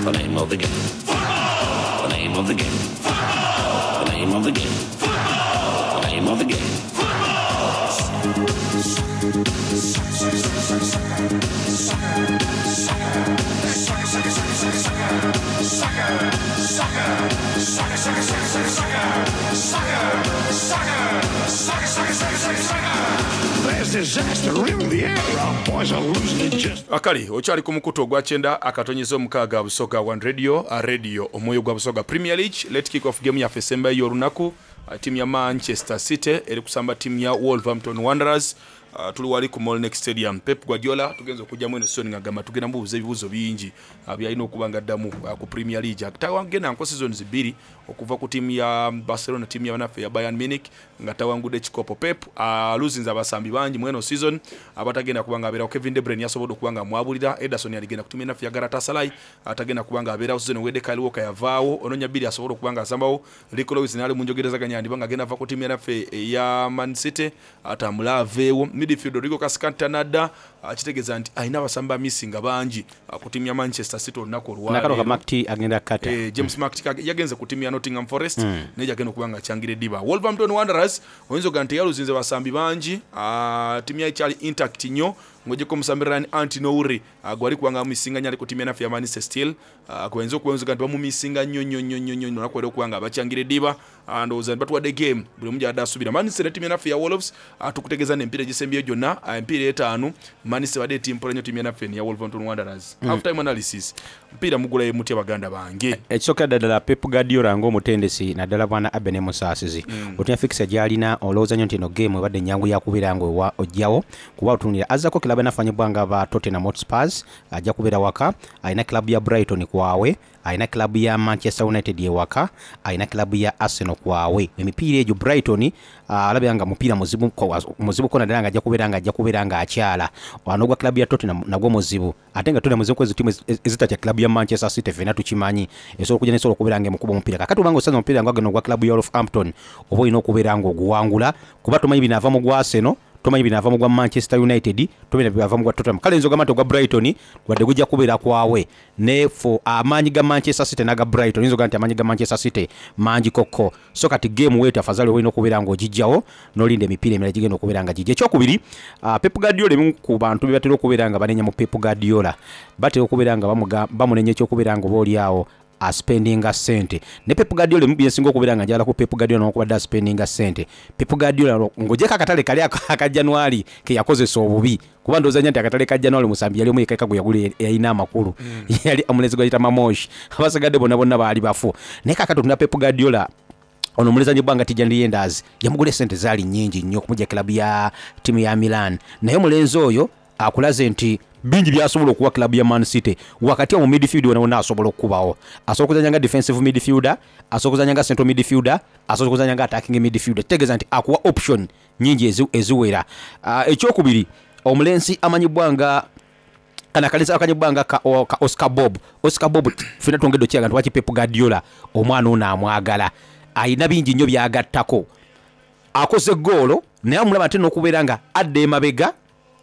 D: The name of the game. The name of the game. The name of the game. The name of the game.
E: There's disaster in the air. Our boys are losing it just.
C: Akali okyali ku mukutu ogwa kyenda akatonyeza omukaaga Busoga One Radio, a radio omwoyo gwa Busoga Premier League. Let kick off game yaffe esembayo y'olunaku. Ttiimu ya Manchester City eri kusamba ttiimu ya Wolverhampton Wanderers. Uh, tuli wali ku Molineux Stadium. Pep Guardiola tugenza okujjamu eno season ng'agamba tugenda mubuuza ebibuuzo bingi uh, byalina okuba nga addamu uh, ku Premier League. Tawangenda nko seasons bbiri okuva ku ttiimu ya Barcelona, ttiimu ya banaffe ya Bayern Munich nga tawangudde ekikopo. Pep aluzinze uh, abasambi bangi mu eno season abatagenda kuba nga abeerawo. Kevin De Bruyne yasobodde okuba nga amwabulira. Ederson yaligenda ku ttiimu enaffe ya Galatasaray atagenda kuba nga abeerawo season ewedde. Kyle Walker yavaawo, Ononya bbiri asobodde okuba nga asambawo. Rico Lewis naali mu njogerezaganya yandiba nga agenda ava ku ttiimu enaffe eya Man City atambule aveewo. Midfield Rodrigo Cascante nadda, kitegeeza nti alina abasamba missinga bangi ku ttiimu ya Manchester City olunaku
A: Nakano
C: olwaleero.
A: ka Mark agenda kata.
C: Eh, James Mark yagenze ku ttiimu ya Nottingham Forest mm. naye yagenda okuba nga akyangira eddiba. Wolverhampton Wanderers oyinza ogamba nti yaluzinze basambi bangi, ttiimu yayo ekyali intact nnyo ng'oggyeko omusambi Ryan Antinouri gwali kubanga bamumisinga nnyo ali ku ttiimu enaffe ya Manchester Steel, gwe bayinza okuba nti bamumisinga nnyo nnyo nnyo nnyo nnyo olunaku olwaleero okuba nga abakyangira eddiba. Ndowooza nti batuwadde game buli omu gy'abadde asuubira. Manchester ne ttiimu enaffe ya Wolves tukutegeeza n'emipiira egisembyeyo gyonna, emipiira etaano Manchester badde etimpula nnyo ttiimu enaffe ya Wolverhampton Wanderers. Mm. Half time analysis, mpiira mugulayo mutya baganda bange?
A: Ekisookera ddala Pep Guardiola ng'omutendesi naddala bwana Abene Musaasizi mm. otunya fikisa gy'alina olowooza nnyo nti eno game ebadde ennyangu yakubeera nga ojjawo kuba otunuulira azzako kilabu enafanyibwa nga ba Tottenham Hotspurs ajja kubeera waka, alina kilabu ya Brighton kwawe, alina kilabu ya Manchester United ewaka, alina kilabu ya Arsenal kwawe. Emipiira egyo Brighton alabira nga mupiira muzibu muzibu ko naddala nga ajja kubeera nga ajja kubeera nga akyala anogwa kilabu ya Tottenham nagwo muzibu, ate nga Tottenham muzibu kwezi tiimu ezitatya kilabu ya Manchester City ffenna tukimanyi esobola okujja nesobola okubeera nga emukuba omupiira. Kakati obanga osanze omupiira nga gano ogwa kilabu ya Wolverhampton oba olina okubeera nga oguwangula kuba tomanyi binaava mu gwa Arsenal, Tomanyi binaava mu gwa Manchester United, tomanyi binaava mu gwa Tottenham. Kale nze ogamba nti ogwa Brighton wadde gujja kubeera kwawe, ne for amaanyi ga Manchester City n'aga Brighton, oyinza ogamba nti amaanyi ga Manchester City mangi kokko. So kati game weetu afazali oba olina okubeera ng'ogijjawo n'olinda emipiira emirala gigenda okubeera nga gijja. Ekyokubiri, uh, Pep Guardiola, ebimu ku bantu be batera okubeera nga banenya mu Pep Guardiola, batera okubeera nga bamuga- bamunenya ekyokubeera nga oba oli awo aspendinga sente. Ne Pep Guardiola, emu byensinga okubeera nga njagala ku Pep Guardiola nokubadde aspendinga sente, Pep Guardiola ng'ogyeko akatale kali aka aka January ke yakozesa obubi, kuba ndowooza nnyo nti akatale ka January musambi yali omu yekka gwe yagula yalina amakulu, yali omulenzi gwayita Marmoush. Abasigadde bonna bonna baali bafu. Naye kakati otunda Pep Guardiola ono omulezanyi bbanga Tijjani Reijnders yamugula esente zaali nnyingi nnyo okumujja kilabu ya ttiimu ya Milan, naye omulenzi oyo akulaze nti bingi byasobola okuwa kilabu ya Man City. Wakati awo mu midfield wona wonna asobola okukubawo, asobola okuzanya nga defensive midfielder, asobola okuzanya nga central midfielder, asobola okuzanya nga attacking midfielder. Kitegeeza nti akuwa option nyingi ezi- eziwera. Ah, ekyokubiri, omulenzi amanyibwa nga kana akalenzi akanyibwa nga ka, o- ka Oscar Bob. Oscar Bob fena twongedde okiraga nti waki Pep Guardiola omwana ono amwagala, ayina bingi nnyo byagattako. Akoze goolo, naye amulaba ate n'okubeera nga adda emabega,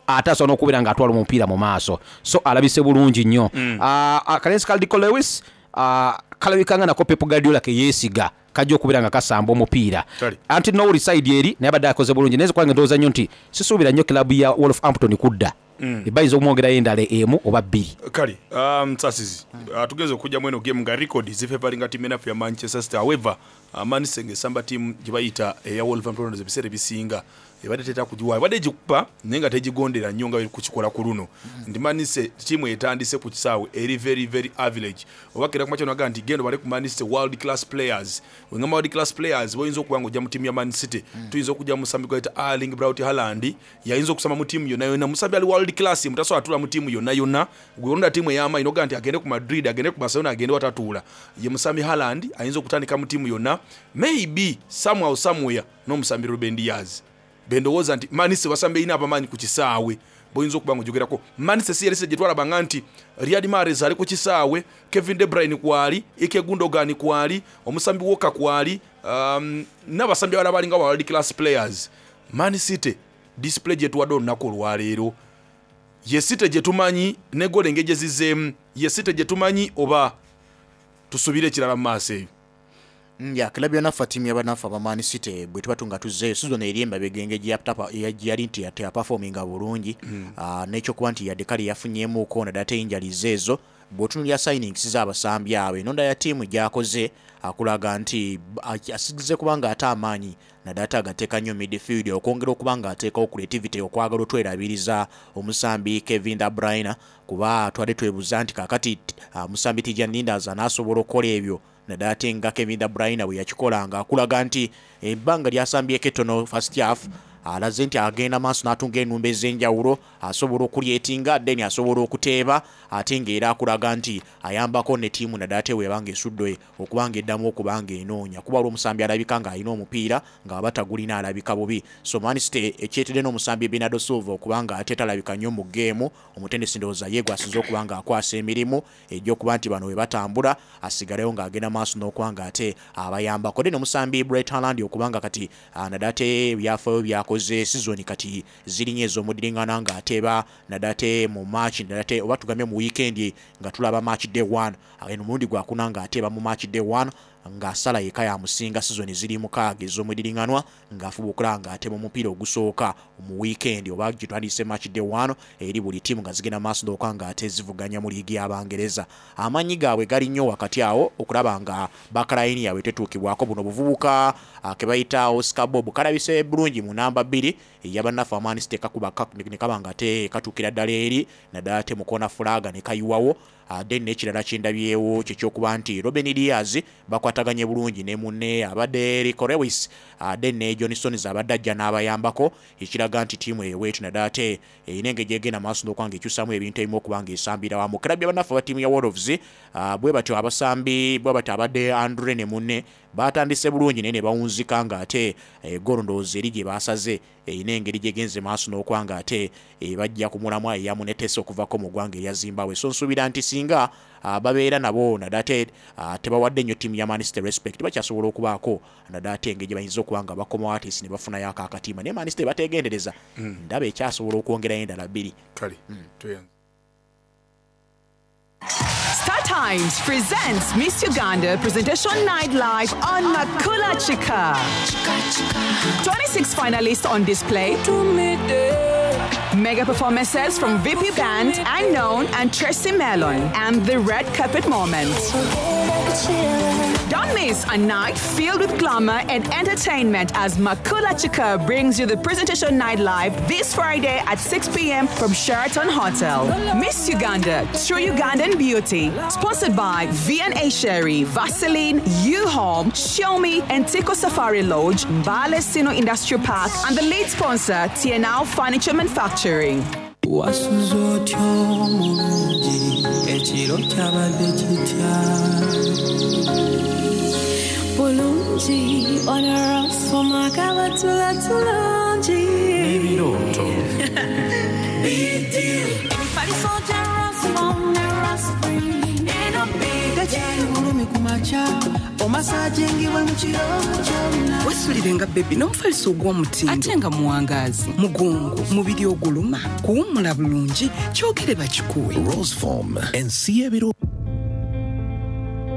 A: ate asobola n'okubeera nga atwala omupiira mu maaso, so alabise bulungi nnyo. mm. Akalenzi ka Rico Lewis, ah, kalabika nga nako Pep Guardiola keyeesiga kajja okubeera nga kasamba omupiira.
C: Kale.
A: Anti nowuli side eri naye abadde akoze bulungi, naye kubanga ndowooza nnyo nti sisuubira nnyo kilabu ya Wolverhampton kudda, mm. bayinza okumwongerayo endala emu oba bbiri.
C: Kale, um, sasizi uh, tugenze okujjamu eno game nga record zifavoringa tiimu enafu ya Manchester City. However, uh, Man City ng'esamba tiimu gye bayita eya Wolverhampton Wanderers, ebiseera ebisinga ebadde tetera kugiwa, ebadde egikuba naye nga tegigondera nnyo nga kukikola ku luno, nti Man City tiimu etandise ku kisaawe eri very very average. Oba kera kumakya naga nti genda bale ku Man City world class players, wengamba world class players boyinza okuba nga ojja mu tiimu ya Man City, tuyinza okujja mu musambi gwayita Erling Braut Haaland, yayinza okusamba mu tiimu yonna yonna. Musambi ali world class, mutasobola atula mu tiimu yonna yonna. Gwelonda tiimu ey'amaanyi nogaa nti agende ku Madrid, agende ku Barcelona, agende watatuula, ye musambi Haaland ayinza okutandika mu tiimu yonna, maybe somehow somewhere n'omusambi Ruben Dias. Bendowooza nti Man City basambi erina abamaanyi ku kisaawe boyinza okuba nga ojogerako. Man City si yalese gye twalabanga nti Riyad Mahrez ali ku kisaawe, Kevin De Bruyne kwali, Ilkay Gundogan kwali, omusambi Walker kwali, um, n'abasambi abalala balinga world class players. Man City display gye tuwadde olunaku olwaleero, ye City gye tumanyi ne goal engeri gye zizeemu, ye City gye tumanyi oba tusuubire ekirala mu maaso eyo?
B: Ya kilabu yonaffe, ttiimu y'abanafu aba Man City, bwe tuba tunga tuzzeeyo season eri emabega, engeri gye yaptapa- ya- gye yali nti teyaperforminga bulungi, Ah, n'ekyokuba nti yadde kale yafunyeemuko naddala te injuries ezo, bw'otunuulira signings z'abasambi abo, enonda ya ttiimu gy'akoze akulaga nti b- asigize kubanga ate amaanyi naddala ate agateeka nnyo midfield, okwongera okuba nga ateekawo creativity, okwagala otwerabiriza omusambi Kevin De Bruyne, kuba twadde twebuuza nti kakati ah, omusambi Tijjani Reijnders anaasobola okukola ebyo naddala ate nga Kevin De Bruyne bwe yakikolanga. Akulaga nti ebbanga lyasambyeko ettono first half, alaze nti agenda maaso n'atunga enumba ez'enjawulo, asobola okucreatinga, then asobola okuteeba, ate ng'era akulaga nti ayambako ne ttiimu naddala ate bw'eba esudde okuba nga eddamu okuba nga enoonya, kuba olwo omusambi alabika ng'alina omupiira ng'aba tagulina alabika bubi. So Man City ekyetedde n'omusambi Bernardo Silva okuba nga ate talabika nnyo mu geemu, omutendesi ndowooza ye gwasinze okuba nga akwasa emirimu egy'okuba nti bano bwe batambula asigalewo ng'agenda maaso n'okuba nga ate abayambako. Then omusambi Braut Haaland okuba nga kati ah, naddala ate ebyafaayo byakoze season kati zirinye ez'omudiringana ng'ateeba naddala ate mu match, naddala ate oba tugambye mu weekend nga tulaba match day one, eno omulundi gwakuna ng'ateeba mu match day one, ng'asala yeka yamusinga season ziri mukaaga ez'omudiringanwa ng'afuba okulaba ng'ateeba omupiira ogusooka mu weekend oba gye twandiyise match day one eri buli ttiimu nga zigenda maaso n'okuba ng'ate zivuganya mu liigi y'Abangereza. Amaanyi gaabwe gali nnyo wakati awo okulaba nga backline yaabwe tetuukibwako. Buno buvubuka ah, ke bayita Oscar Bob kalabise bulungi mu namba bbiri ey'abannaffe aba Man City, kakuba ka- ne kaba nga te katuukira ddala eri naddala te mukona flag ne kayiwawo. Ah, then n'ekirala kyendabyewo kyekyokuba nti Ruben Dias bakwataganye bulungi ne munne abadde Rico Lewis, ah, then ne John Stones abadde ajja n'abayambako, ekiraga nti ttiimu eweetu naddala ate erina engeri gyegenda maaso n'okuba nga ekyusamu ebintu ebimu okuba nga esambira wamu. Kirabu y'abannaffe aba ttiimu ya Wolves, ah, bwe batyo abasambi bwe batyo abadde Andre ne munne. Batandise bulungi naye ne bawunzika nga ate goolo ndowooza eri gye basaze erina engeri gyegenze maaso n'okuba nga ate bajja ku mulamwa eya Munetesi okuvako mu ggwanga erya Zimbabwe. So nsuubira nti singa babeera nabo naddala ate tebawadde nnyo ttiimu ya Man City respect, bakyasobola okubaako naddala ate engeri gye bayinza okuba nga bakomawo atisi ne bafunayo ako akatimba, naye Man City bateegendereza, ndaba ekyasobola okwongerayo endala bbiri.
C: Kale tweyanze.
F: Star Times presents Miss Uganda Presentation Night Live on Makula Chika. twenty-six finalists on display. Mega performances from V P Band, Unknown, and Tracy Melon, and the red carpet moment. Don't miss a night filled with glamour and entertainment as Makula Chika brings you the Presentation Night Live this Friday at six p m from Sheraton Hotel. Miss Uganda, True Ugandan Beauty. Sponsored by V and A Sherry, Vaseline, U-Home, Xiaomi, and Tico Safari Lodge, Mbale Sino Industrial Park, and the lead sponsor, T N L Furniture Manufacturing.
G: Wasuze otya omulungi, ekiro kyabadde kitya?
H: Bulungi onorosomaka batula tulungi.
G: Ebirooto.
H: Emifaliso gya Rosmom ne Rospring eno.
G: Tekyali bulumi ku makya omasajingibwe mu kiro kyonna.
I: Wesulire nga baby n'omufaliso ogw'omutindo ate nga muwangaazi, mugongo, mubiri oguluma, kuwummula bulungi, kyogere bakikuwe.
E: Roseform ensi y'ebiro.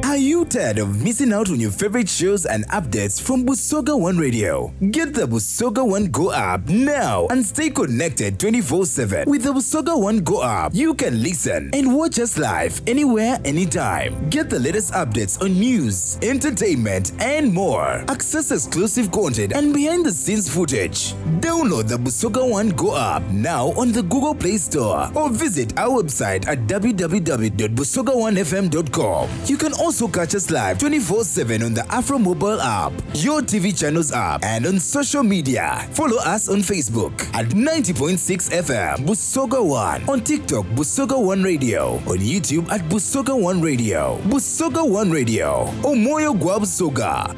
J: Are you tired of missing out on your favorite shows and updates from Busoga One Radio? Get the Busoga One Go app now and stay connected twenty-four seven. With the Busoga One Go app, you can listen and watch us live anywhere, anytime. Get the latest updates on news, entertainment, and more. Access exclusive content and behind the scenes footage. Download the Busoga One Go app now on the Google Play Store or visit our website at w w w dot busoga one f m dot com. You can also catch us live twenty-four seven on the Afro Mobile app, your T V channels app, and on social media. Follow us on Facebook at ninety point six F M Busoga One, on TikTok Busoga One Radio, on YouTube at Busoga One Radio. Busoga One Radio, Omoyo Gwa Busoga.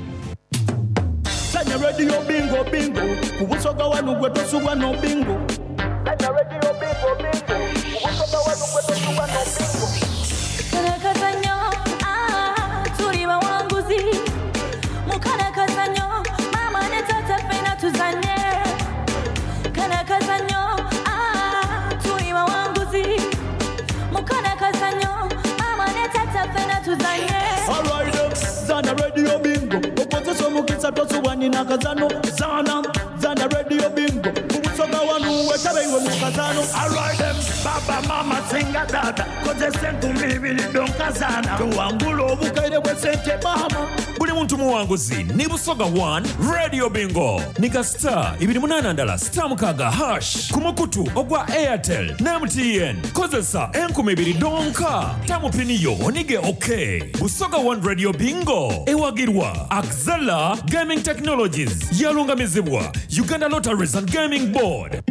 K: Sanya Radio Bingo Bingo ku Busoga wanu gwe tosubwa no bingo. Sanya Radio Bingo Bingo ku Busoga wanu gwe tosubwa no bingo.
H: Karakazanyo, ah, tuli bawanguzi mukarakazanyo, mama ne tata ffena tuzanye karakazanyo, ah, tuli bawanguzi mukarakazanyo, mama ne tata ffena tuzanye.
K: Alright, zana Radio Bingo okozesa omukisa tosubwa nina kazano zana zana Radio Bingo ku Busoga wanu wetabeiwe mu kazano. Alright, baba mama singa dada kozesa enkumi ibiri donkazana tuwangula obukaire bwesente mama.
L: Buli muntu muwanguzi ni Busoga one Radio Bingo nika star ibiri munana ndala star mukaga hash ku mukutu ogwa Airtel ne M T N. Kozesa enkumi ibiri donka tamupiniyo onige. Ok, Busoga one Radio Bingo ewagirwa Axela Gaming Technologies, yalungamizibwa Uganda Lotteries and Gaming Board.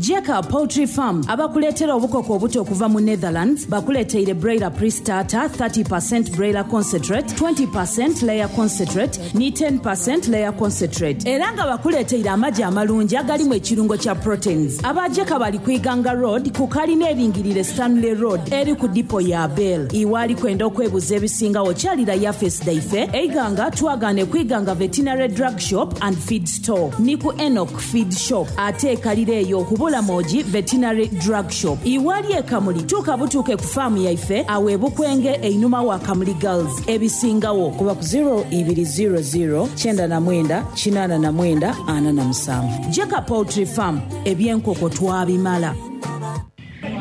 M: Jeka Poultry Farm abakuleetera obukoko obuto okuva mu Netherlands bakuleeteire broiler pre-starter, thirty percent broiler concentrate, twenty percent layer concentrate ne ten percent layer concentrate, era nga bakuleeteire amagi amalungi agalimu ekirungo kya proteins. Abajeka bali ku Iganga Road ku kalina eringirire Stanley Road eri ku dipo ya Bell. Iwaali kwenda okwebuza ebisingawo kyalira yafesi daife eiganga twagane ku Iganga Veterinary Drug Shop and Feed Store ni ku Enoch Feed Shop, ate ekalira eyo ku Bulamogi Veterinary Drug Shop. Iwali ekamuli tuuka butuuke ku faamu yaife awo ebukwenge einuma wa Kamuli Girls. Ebisingawo kuba ku zero two zero zero nine nine eight nine four seven. Jeka Poultry Farm, ebyenkoko twabimala.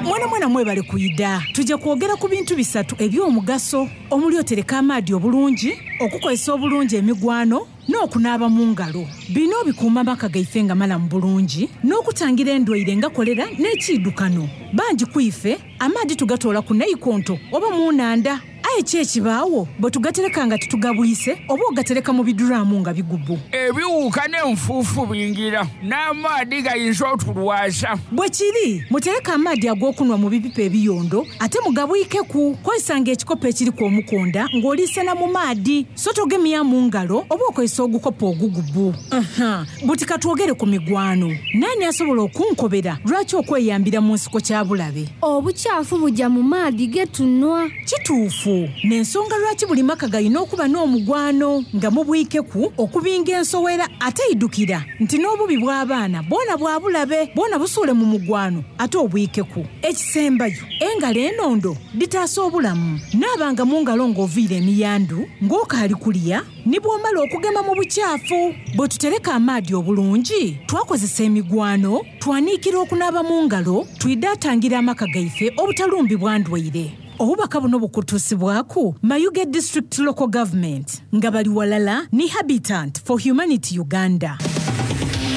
N: Mwana mwana mwebale kuyida. Tujja kwogera ku bintu bisatu eby'omugaso omuli otereka amaadi obulungi, okukozesa obulungi emigwano n'okunaaba mu ngalo. Bino bikuuma amaka gaife nga malamu bulungi n'okutangira endwaire nga kolera n'ekiidukano. Bangi ku ife amaadi tugatoola ku naikonto oba mu nanda. Aye ki ekibaawo bwe tugatereka nga tetugabwise oba ogatereka mu biduraamu nga bigubu.
O: Ebiwuka n'enfuufu bingira n'amaadi gayinza otulwaza.
N: Bwe kiri, mutereke amaadi ag'okunwa mu bipipa ebiyondo ate mugabwikeku. Kozesanga ekikopo ekiriku omukonda ng'oliisena mu maadi, so togemya mu ngalo oba okozesa ogukopo ogugubu. Aha, buti katwogere ku migwano. Naani asobola okunkobera lwaki okweyambira mu nsiko kya bulabe?
P: Obukyafu bujja mu maadi ge tunwa.
N: Kituufu. N'ensonga lwaki buli maka galina okuba n'omugwano nga mubwikeku okubinga ensowera ate idukira nti n'obubi bw'abaana bwona bwa bulabe bwona busuule mu mugwano ate obwikeku. Ekisembayo, engalo enondo ditaasa obulamu. Naabanga mu ngalo ng'oviira emiyandu, ng'okaali kulya, ne bw'omala okugema mu bukyafu. Bwe tutereka amaadi obulungi, twakozesa emigwano, twaniikira okunaaba mu ngalo, twidaatangira amaka gaife obutalumbibwa ndwaire. Obubaka buno bukutuusibwaku Mayuge District Local Government nga bali walala ni Habitat for Humanity Uganda.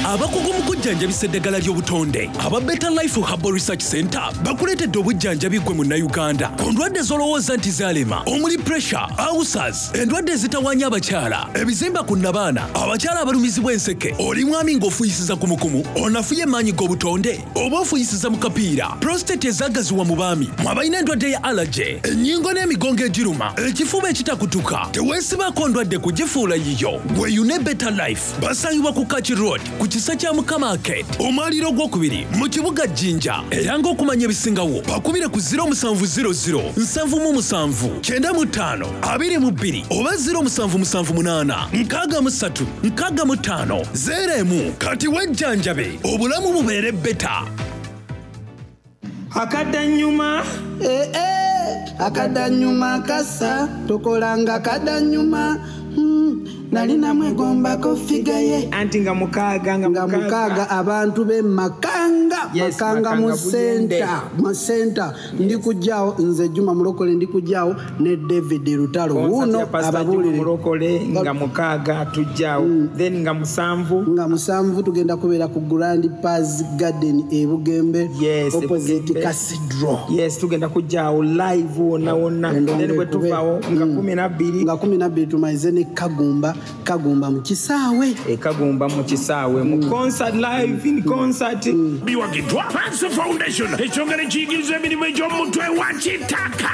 Q: Abakugu mu kujjanjabisa eddagala ly'obutonde aba Better Life Herbal Research Center bakuleetedde obujjanjabi ggwe munnayuganda ku ndwadde z'olowooza nti zaalema, omuli pressure, ulcers, endwadde ezitawaanya abakyala, ebizimba ku nnabaana, abakyala abalumizibwa enseke, oli mwami ng'ofuuyisiza kumukumu, onafuye emaanyi g'obutonde oba ofuuyisiza mu kapiira, prostate ezaagaziwa mu baami, mwe abalina endwadde ya allergy, ennyingo n'emigongo egiruma, ekifuba ekitakutuka, teweesibaako ndwadde kugifuula yiyo. Weeyune Better Life basangibwa ku Kaki Road ku kisa kya Mukama Arcade, omwaliiro ogwokubiri mu kibuga Jinja. Era ng'okumanya ebisingawo bakubire ku ziro musanvu ziro ziro nsanvu mu musanvu kyenda mu ttaano abiri mu bbiri oba ziro musanvu musanvu munaana nkaaga mu ssatu nkaaga mu ttaano zeero emu. Kati wejjanjabe obulamu bubeere beta.
R: Akadanyuma.
G: Eh, eh, akadanyuma kasa tokolanga kadanyuma. Hmm, nali namwegombako figa ye
R: anti nga mukaaga
G: nga mukaaga abantu be Makanga.
R: Yes,
G: Makanga mu
R: Makanga Buyende.
G: senta mu senta ndi kujjaawo nze Juma Mulokole, ndi kujjaawo ne David Lutalo
R: Concert
G: wuuno
R: ya Pastor Juma
G: ababuulire.
R: Mulokole nga mukaaga tujjaawo, then nga musanvu
G: nga musanvu tugenda kubeera ku Grand Paz Garden e Bugembe,
R: Yes,
G: opposite
R: Bugembe.
G: Cathedral.
R: Yes, tugenda kujjaawo live wonna wonna, then bwe tuvaawo nga kumi nabbiri
G: nga kumi nabbiri tumalize ne Kagumba Kagumba mu kisaawe.
R: E Kagumba mu kisaawe mu concert, live in concert.
E: Biwagiddwa Panso Foundation, ekyongera ekiyigiriza emirimu egy'omutwe wa kitaka.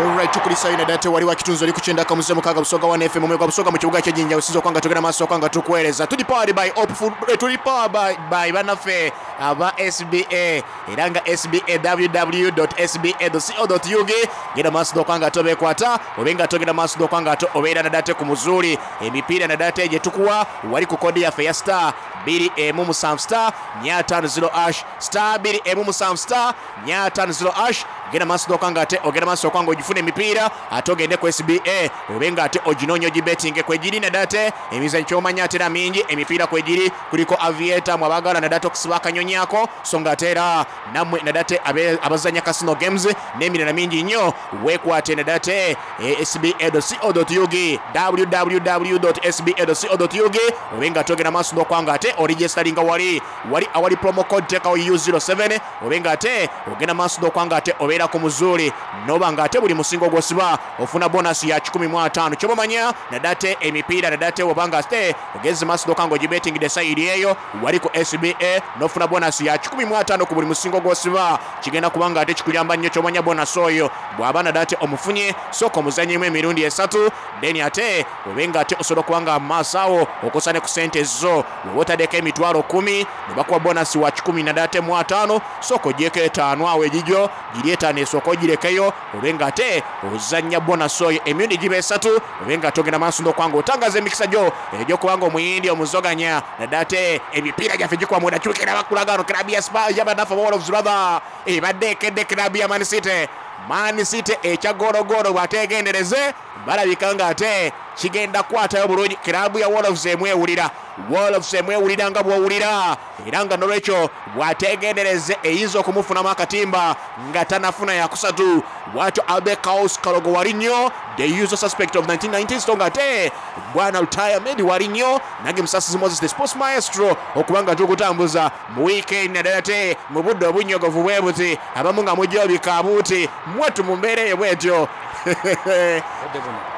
B: Alright, tukulisayo naddala tewali wa kitunzi oli ku kyenda kamuze mukaaga Busoga one F M omwe gwa Busoga mu kibuga ky'Ejjinja osinza okuba nga tugenda maaso okuba nga tukuweereza. Tuli powered by Hope Food, eh, tuli powered by, by bannaffe aba S B A, era nga S B A w w dot s b a dot co dot u g. Genda maaso okuba nga tobeekwata, obe nga togenda maaso okuba nga obeera naddala te ku muzuuli. Emipiira naddala te gye tukuwa wali ku kodi yaffe ya star bbiri emu musanvu star nnya ttaano zero ash, star bbiri emu musanvu star nnya ttaano zero ash. Genda maaso okuba nga ate ogenda maaso okuba nga ogifuna emipiira ate ogende ku S B A obe nga ate oginoonya ogibetinge kwegiri naddala te emizannyo ky'omanya ate era mingi emipiira kwegiri kuliko aviator mwe abaagala naddala te okusiba akanyonyi ako, so nga ate era nammwe naddala te abe-, abazannya casino games n'emirala mingi nnyo. Weekwate naddala te S B A dot co dot u g, w w w dot s b a dot co dot u g, obe nga ate ogenda maaso n'okuba nga ate oregisteringa wali wali awali promo code teekawo U zero seven, obe nga ate ogenda maaso n'okuba nga ate obeera ku muzuuli n'oba nga ate buli musingo gw'osiba ofuna bonus ya kikumi mu ataano. Ky'oba omanya naddala te emipiira naddala te oba nga ate ogenze maaso n'okuba nga ogibetingidde sayidi eyo wali ku S B A n'ofuna bonus ya kikumi mu ataano ku buli musingo gw'osiba, kigenda kuba nga ate kikuyamba nnyo. Ky'omanya bonus oyo bw'aba naddala te omufunye, sooka omuzannyemu emirundi esatu, then ate obe nga ate osobola okuba nga maaso awo okosa ne ku ssente zo. Bw'oba otaddeko emitwalo kkumi ne bakuwa bonus wa kikumi naddala te mu ataano, sooka ogyeko etaano awo egigyo giri etaano esooka ogirekeyo, obe nga ate ozannya bonus oyo emirundi giba esatu, obe nga ate ogenda maaso n'okuba nga otangaza emikisa gyo egy'okuba nga omuyindi omuzoganya naddala te emipiira gyaffe gikuba munda. Kyukira bakulaga wano club ya Spurs y'abannaffe aba Wolves rather ebadde ekedde club ya Man City. Man City ekya goologolo bw'ateegendereze balabika nga ate Kigenda kukwatayo bulungi. Kirabu ya Wolves emwewulira, Wolves emwewulira nga bw'owulira, era nga nolwekyo bw'ategendereze eyinza okumufunamu akatimba nga tanafuna yakusatu. Bwatyo Albert Kaos Kalogo wali nnyo, the usual suspect of nineteen ninety, so nga ate bwana Lutaya Medi wali nnyo, nange Musasizi Moses the sports maestro okuba nga tukutambuza mu weekend naddala ate mu budde obunyogovu bwe buti, abamu nga mujja obikaabuuti mwattu mu mbeera eyo bwetyo.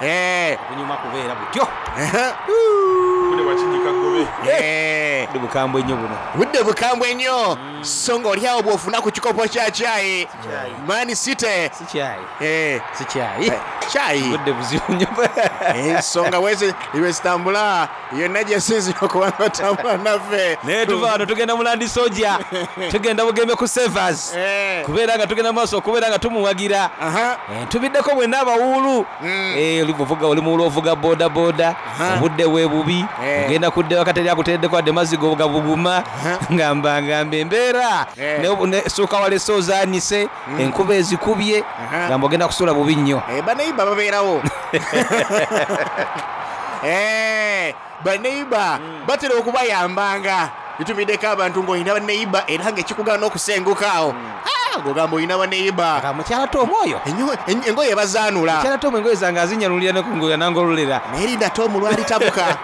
B: Eh.
A: Bunyuma kubeera butyo.
C: Budde bwakinyika gobe.
B: Eh.
A: Budde bukambwe nnyo buno.
B: Budde bukambwe nnyo. So ng'oli awo bw'ofuna ku kikopo kya caayi Man City.
A: Si caayi.
B: Eh.
A: Si caayi.
B: Caayi.
A: Budde buzibu nnyo.
B: Ensonga bwezi bwe zitambula yonna gye sinzira okuba nga otambula naffe.
A: Naye tuva wano tugenda mu Land Soldier, tugenda Bugembe ku Savers, kubeera nga tugenda mu maaso okubeera nga tumuwagira. Eh, tubiddeko bwenna abawuulu. Eh, oli buvuga, oli muwuulu ovuga boda boda, obudde bwe bubi, ogenda kudda ewaka teri akuteereddeko wadde mazzi go gabuguma, ngamba ngamba embeera Ne- ne suuka walese ozaanise, enkuba ezikubye, ngamba ogenda kusula bubi nnyo.
B: Eh, baneiba babeerawo. Eh, baneiba batera okubayambanga. Tutumiddeko abantu ng'olina baneiba era ng'ekikugaana okusenguka awo. Ah, ng'ogamba olina baneiba.
A: Mukyala Tom oyo.
B: Engoye bazaanula.
A: Mukyala Tom engoye zange azinyanulira nekungoya nangololera.
B: Naye linda Tom lwalitabuka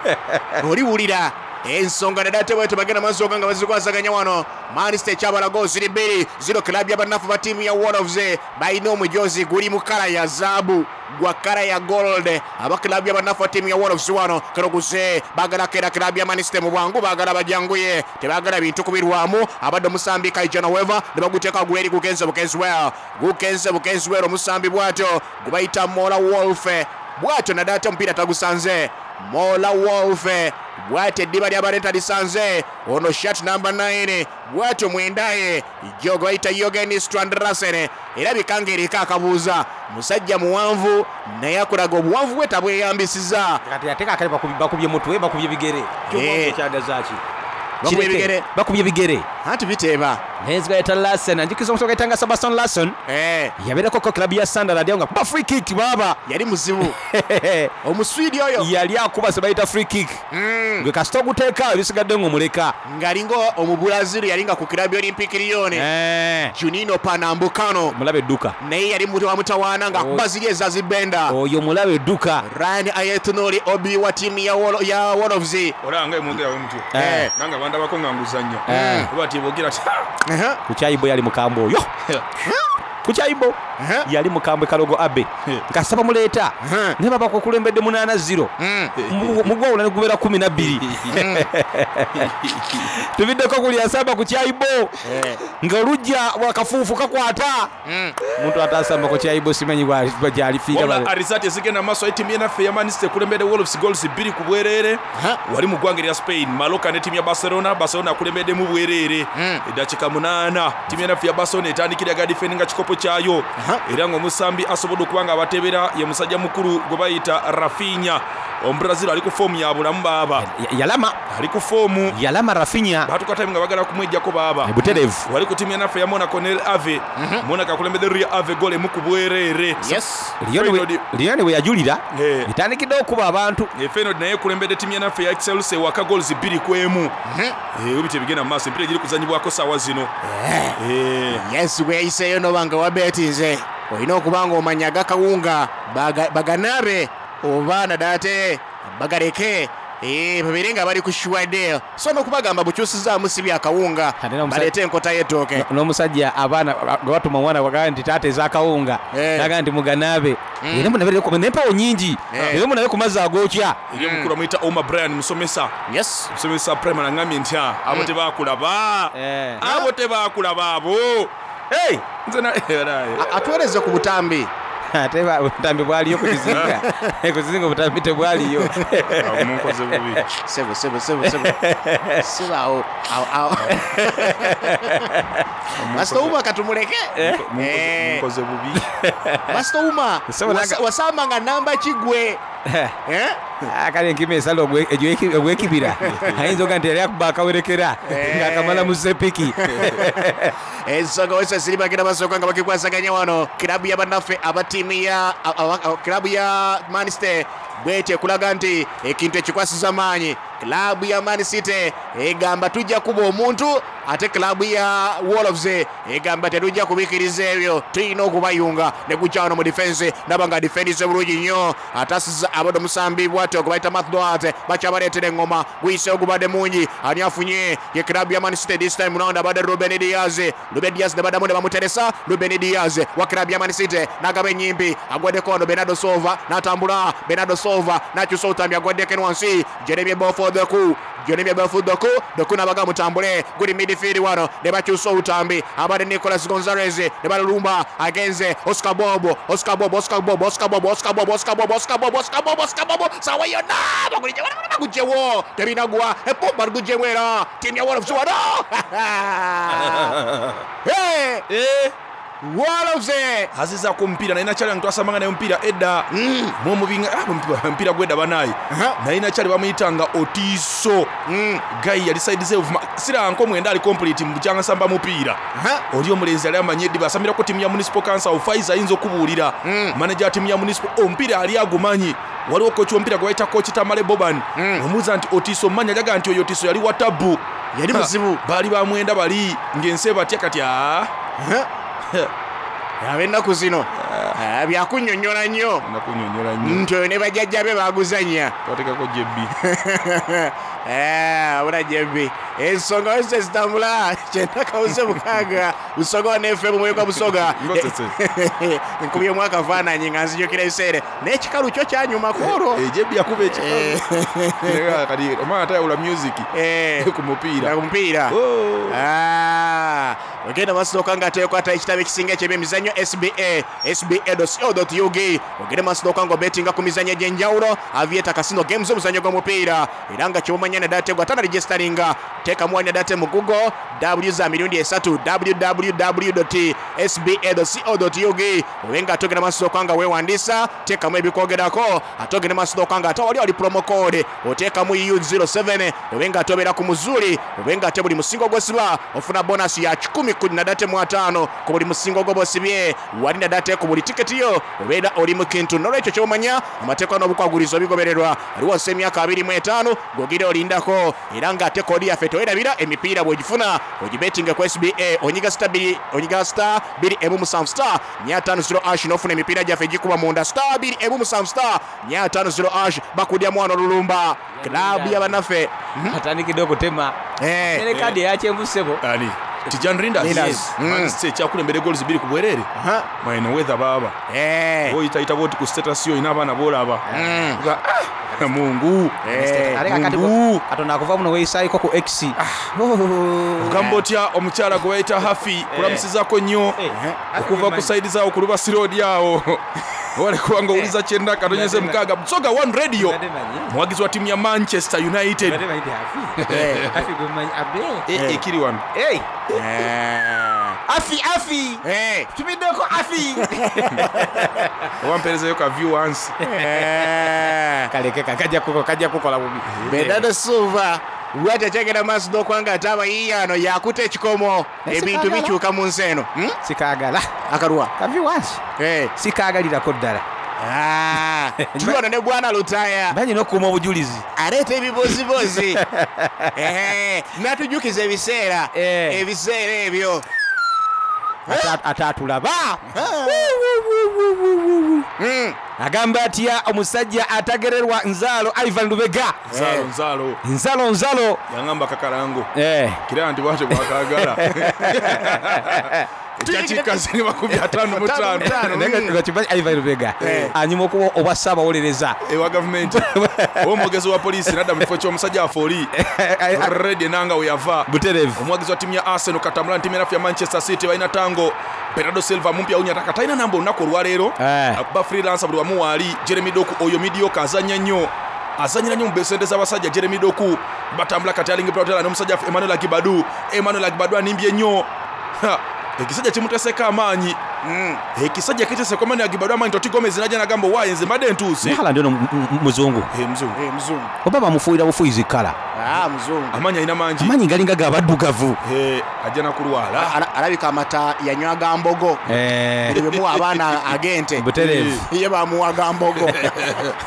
B: oliwulira ensonga naddala te bwetyo bagenda maaso nga bazikwasaganya wano. Man City ekyabalago ziri bbiri zero club y'abanafu ba ttiimu ya Wolves balina omujozi guli mu kala ya zaabu gwa kala ya gold. Aba club y'abanafu ba ttiimu ya Wolves wano kanoguze baagala keera club ya Man City mu bwangu, baagala bajanguye, tebaagala bintu kubirwamu. Abadde omusambi Kaijana Weaver ne baguteeka gweri gugenze bugenzi well gugenze bugenzi well omusambi bwatyo gubayita Mola Wolf bwatyo naddala ate omupiira tagusanze Mola Wolf bwatyo eddiba ly'abaleta lisanze ono shirt number nine bwatyo mwendaye jogo bayita Jorgen Strandrasen erabika ng'eriko akabuuza. Musajja muwanvu naye akulaga obuwanvu bwe tabweyambisiza.
A: Kati ate kaakale bakubye mutwe, bakubye bigere.
B: Eh.
A: Kyagaza ki?
B: Bakubye
A: Kireke.
B: bigere.
A: Bakubye bigere.
B: Anti biteeba.
A: Naye nzigaita Larsen, anjukiriza omusoga gayitanga Sebastian Larsson. Yabeerako ko club ya Sunderland awo nga kuba free kick baaba.
B: Yali muzibu. Omuswidi oyo.
A: Yali akuba se bayita free kick. Gwe kasita oguteeka ebisigadde ng'omuleka.
B: Ng'alinga Omubrazil yalinga ku club ya Olympic Lyon. Juninho Pernambucano.
A: Mulabe edduka.
B: Naye yali wa mutawaana ng'akuba ziri eza zibenda.
A: Oyo mulabe edduka.
B: Ryan Ayetunori Obi wa ttiimu ya Wol- ya Wolves.
C: Olaba nga emwogera we mutyo.
A: Eh.
C: Nange bandabako nga nguzannya.
A: Eh.
C: Oba ati boogera ati "Ha!"
A: Ku kyayibo yali mukambwe oyo. Ku kyayibo yali mukambwe Kalogo Abe. Kasita bamuleeta naye baba kukulembedde munaana zero. Mu- Mugwawula ne gubeera kumi na bbiri. Tubiddeko kuli asamba ku kyayibo ng'olujja bwakafuufu kakwata. Omuntu atasamba ku kyayibo simanyi bwa- gy'alifiira.
C: Wabula arizati ezigenda maaso ettiimu yenaffe eya Man City ekulembedde Wolves goals bbiri ku bwereere. Wali mu ggwanga erya Spain, Mallorca ne ttiimu ya Barcelona. Barcelona akulembeddemu bwereere eddakiika munaana. Ttiimu yenaffe ya Barcelona etandikira ga defendinga kikopo kyayo, era ng'omusambi asobodde okuba nga abatebera ye musajja mukulu gwe bayita Rafinha Omubrazil ali ku foomu ya bulamu baaba.
A: Yalama
C: ali ku foomu
A: yalama Rafinha
C: batuka time nga bagala kumwejjako baaba
A: butereevu.
C: Wali ku ttiimu yenaffe ya Monaco ne Ave. Monaco akulembedde Rio Ave goal emu ku bwereere.
B: Yes.
A: Lyon bwe yajulira etandikidde okuba abantu.
C: Feyenoord naye ekulembedde ttiimu yanaffe ya Excelsior ewaka goals bbiri ku emu. Eh, bwe bityo ebigenda mu maaso, emipiira giri kuzannyibwako saawa zino.
B: Yes, bwe yayiseeyo noba nga wabeetinze olina okuba nga omanya agakawunga baga- baganaabe oba naddala ate bagaleke. Eh, babeere nga bali ku shuwadeo so n'okubagamba bukyusizaamu si byakawunga baleete enkota y'ettooke.
A: N'omusajja abaana gwe batuma omwana bagamba nti taata ez'akawunga, naga nti muganaabe era munabe n'empewo nyingi era munabe ku mazzi agookya.
C: Eri omukulu amuyita Omar Brian musomesa.
B: Yes.
C: Musomesa primary aŋŋambye nti "Ah, abo tebaakulaba. Abo tebaakulaba abo." Nze na
B: Atuweereze ku butambi.
A: Ate ba- obutambi bwaliyo ku kizinga, ku kizinga obutambi tebwaliyo.
C: Munkoze bubi.
B: Sebo sebo sebo sebo. Sebo awo awo awo. Master Uma katumuleke. Eh.
C: Munkoze bubi.
B: Master Uma
A: Sebo
B: wasa-
A: naga-
B: wasamba nga namba kigwe. Eh?
A: Ah, kale enkima esala ogwe- egyo- ogw'ekibira ayinza oga nti yali akuba akawerekera ng'akamala mu sepiki.
B: Ensonga wese ziri bagenda basooka nga bakikwasaganya wano kirabu ya bannaffe aba ttiimu ya aba- aba- kirabu ya Man City Bwete kulaga nti ekintu ekikwasiza maanyi klabu ya Man City egamba tujja kuba omuntu, ate klabu ya Wolves egamba tetujja kubikiriza ebyo, tulina okubayunga. Ne gujja wano mu defense, ndaba nga defense bulungi nnyo, atasiza abadde omusambi bwatyo gwe bayita Matt Doherty, bakyabaleetera eŋŋoma, guyiseewo gubadde mungi. Ani afunye ye klabu ya Man City this time round? Abadde Ruben Dias. Ruben Dias ne baddamu ne bamuteresa. Ruben Dias wa klabu ya Man City n'agaba ennyimpi, agwaddeko wano Bernardo Silva, n'atambula Bernardo Silva n'akyusa obutambi, agwaddeko eno wansi Jeremy Bofor Doku, Jeremy Bofor Doku, Doku n'abaga mutambule, guli midfield wano ne bakyusa obutambi, abadde Nicolas Gonzalez ne balulumba, agenze Oscar Bob, Oscar Bob, Oscar Bob, Oscar Bob, Oscar Bob, Oscar Bob, Oscar Bob, Oscar Bob, Oscar Bob, sawa yonna bagulijje bagugyewo, tebinagwa epumba luguggyemu era ttiimu ya Wolves wano. Hey! Wolves
C: azizaako omupiira naye nakyali nga twasamanga naye omupiira edda mwomubinga omupiira gwedda banaye naye nakyali bamuyitanga Otiso gayi yali side ze siranko mwenda ali complete mu bukyanga nsamba mupiira oli omulenzi yali amanyi eddiba asamirako ttiimu ya Municipal Council. Faiza ayinza okubuulira manager wa ttiimu ya Municipal, omupiira ali agumanyi. Waliwo kochi w'omupiira gwe bayita Coach Tamale Boban, omubuuza nti Otiso mmanyi, ajaga nti oyo Otiso yali wa tabbu,
B: yali muzibu,
C: baali bamwenda bali ng'ensi ebatya kati aa
B: ab'ennaku zino byakunnyonnyola nnyo nti oyo ne bajjajja be baguzannya
C: twatekako jebbi
B: abula jebbi. Ensonga wese zitambula kyenda kawuze mukaaga Busoga ne F M mwoyo gwa Busoga. Nkubye akafaananyi nga nzijukira ebiseera n'ekikalu kyo kyanyuma ku olwo.
C: Jebbi yakuba ekikalu kati omwana tayawula music ku mupiira
B: ku mupiira. Ogenda maaso nga tekwata ekitabo ekisinga eky'ebyemizannyo S B A, S B A dot co dot U G. Ogenda maaso nga obetinga ku mizannyo egy'enjawulo, Aviator Casino Games, omuzannyo gw'omupiira era nga ky'omanya naddala tegwa tana registeringa, teekamu wanya date mu Google W za mirundi esatu w w w dot s b a dot co dot u g. Obe nga ate ogenda maaso nga weewandiisa, teekamu ebikwogerako, ate ogenda maaso nga ate wali wali promo code oteekamu U zero seven, obe nga ate obeera ku Muzuli, obe nga ate buli musingo gw'osiba ofuna bonus ya kikumi ku nadate mu ataano ku buli musingo gw'obosibye wali nadate ku buli tiketi yo obeera oli mu kintu. N'olwekyo ky'omanya amateeka n'obukwagulizo bigobererwa ali wansi emyaka abiri mu etaano gw'ogira olindako, era ng'ate koodi yaffe tewerabira emipiira bw'ogifuna ogibetinga ku S B A, onyiga star bbiri, onyiga star bbiri emu musanvu star nnya ttaano zero ash n'ofuna emipiira gyaffe egikuba munda star bbiri emu musanvu star nnya ttaano zero ash. Bakudyamu wano olulumba klaabu y'abannaffe
A: atandikidde okutema ere kaadi eyakyenvu ssebo
C: ani Tijan Rinders Man City ekyakulembera goals bbiri ku bwerere mwene weather baaba oyitayita bwoti ku status yo olina abaana b'olaba Mungu
A: katonda akuva muno weeyisaayiko ku X.
C: Ogamba otya omukyala gwe bayita Hafi kulamusizaako nnyo okuva ku saidi zaawo ku Lubasi Road awo wale kubanga owuliza kyenda katonyeze mukaaga Busoga One Radio, muwagizi wa ttiimu ya Manchester United. Ekiri wano
A: Afi afi tumiddeko afi
C: wamperezayo ka view once
A: kaleke kajja kajja kukola bubi.
B: Bernardo Silva lwaki akyagenda maaso n'okwanga ate abayiiya ano yakuta ekikomo, ebintu bikyuka mu nsi eno.
A: Sikaagala
B: akalwa
A: ka view once sikaagalirako ddala.
B: Tuli wano ne Bwana Lutaya
A: banyina okukuuma obujulizi,
B: aleeta ebibozibozi n'atujjukiza ebiseera ebiseera ebyo
A: ataatulaba. Agamba atya omusajja atagererwa nzaalo Ivan Lubega?
C: Nzaalo nzaalo
A: nzalo nzalo
C: yangamba kakalango kira nti bwatyo bwakagala ekyakikazi makumi ataano mu ttaano
A: Ivan Lubega anyuma okuba obwa ssaabawolereza
C: ewa gavumenti oba omwogezi wa poliisi nadda mu kifo ky'omusajja afe oli redi enanga we yava
A: butereevu.
C: Omuwagizi wa ttiimu ya Arsenal katambula ne ttiimu yaffe ya Manchester City balina tango Bernardo Silva mumpi awunya taka talina namba olunaku olwaleero akuba freelancer buli wamu waali. Jeremy Doku oyo midioka azannya nnyo azanyira nnyo mu besente z'abasajja. Jeremy Doku batambula kati alinga Platela n'omusajja Emmanuel Agibadu. Emmanuel Agibadu animbye nnyo, ekisajja kimuteseko amaanyi, ekisajja kiteseko amaanyi Agibadu amaanyi. Toti Gomez najja nagamba waaye nze mbadde ntuuse.
A: Haaland ono muzungu
C: muzungu
A: oba bamufuuyira bufuuyizi kkala
B: Ah, muzungu
C: Amaanyi alina mangi.
A: Amaanyi galinga gabaddugavu.
C: Eh, ajja nakulwala.
B: Ala- alabika amata yanywa ga mbogo.
A: Eh.
B: Buli bemuwa abaana ag'ente.
A: Butereevu.
B: Ye bamuwa ga mbogo.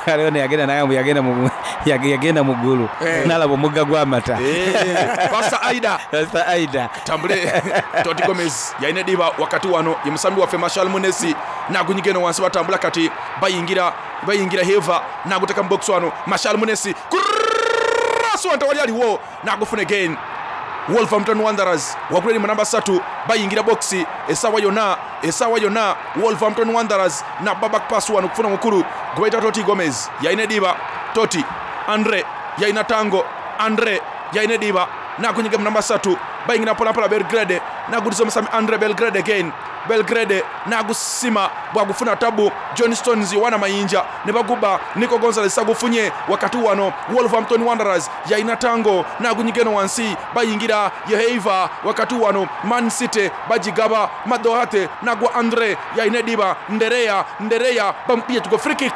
A: Aliwo ne yagenda naye yagenda mu yag- yagenda mu ggulu
C: Eh.
A: n'alaba omugga gw'amata.
C: Eh, Pastor Aida.
A: Pastor Aida.
C: Tambule Toti Gomez yalina ediba wakati wano ye musambi waffe Marshal Munesi nagunyiga eno wansi batambula kati bayingira bayingira Heva naguteka mu box wano Marshal Munesi cross wano tewali aliwo nagufuna again Wolverhampton Wanderers waggulu eri mu namba ssatu bayingira box essaawa yonna essaawa yonna Wolverhampton Wanderers nabba back pass wano okufuna omukulu gwe bayita Toti Gomez yalina ediba Toti Andre yalina Tango Andre yalina ediba nagunyiga mu namba ssatu bayingira mpolampola Belgrade naguliza omusami Andre Belgrade again Belgrade nagusima bwagufuna tabu John Stones Yohana Mayinja ne baguba Nico Gonzalez agufunye wakati wano Wolverhampton Wanderers yalina Tango nagunyiga eno wansi bayingira Yeheiva wakati wano Man City bagigaba Madohate nagwa Andre yalina ediba Ndereya Ndereya bamupye tugo free kick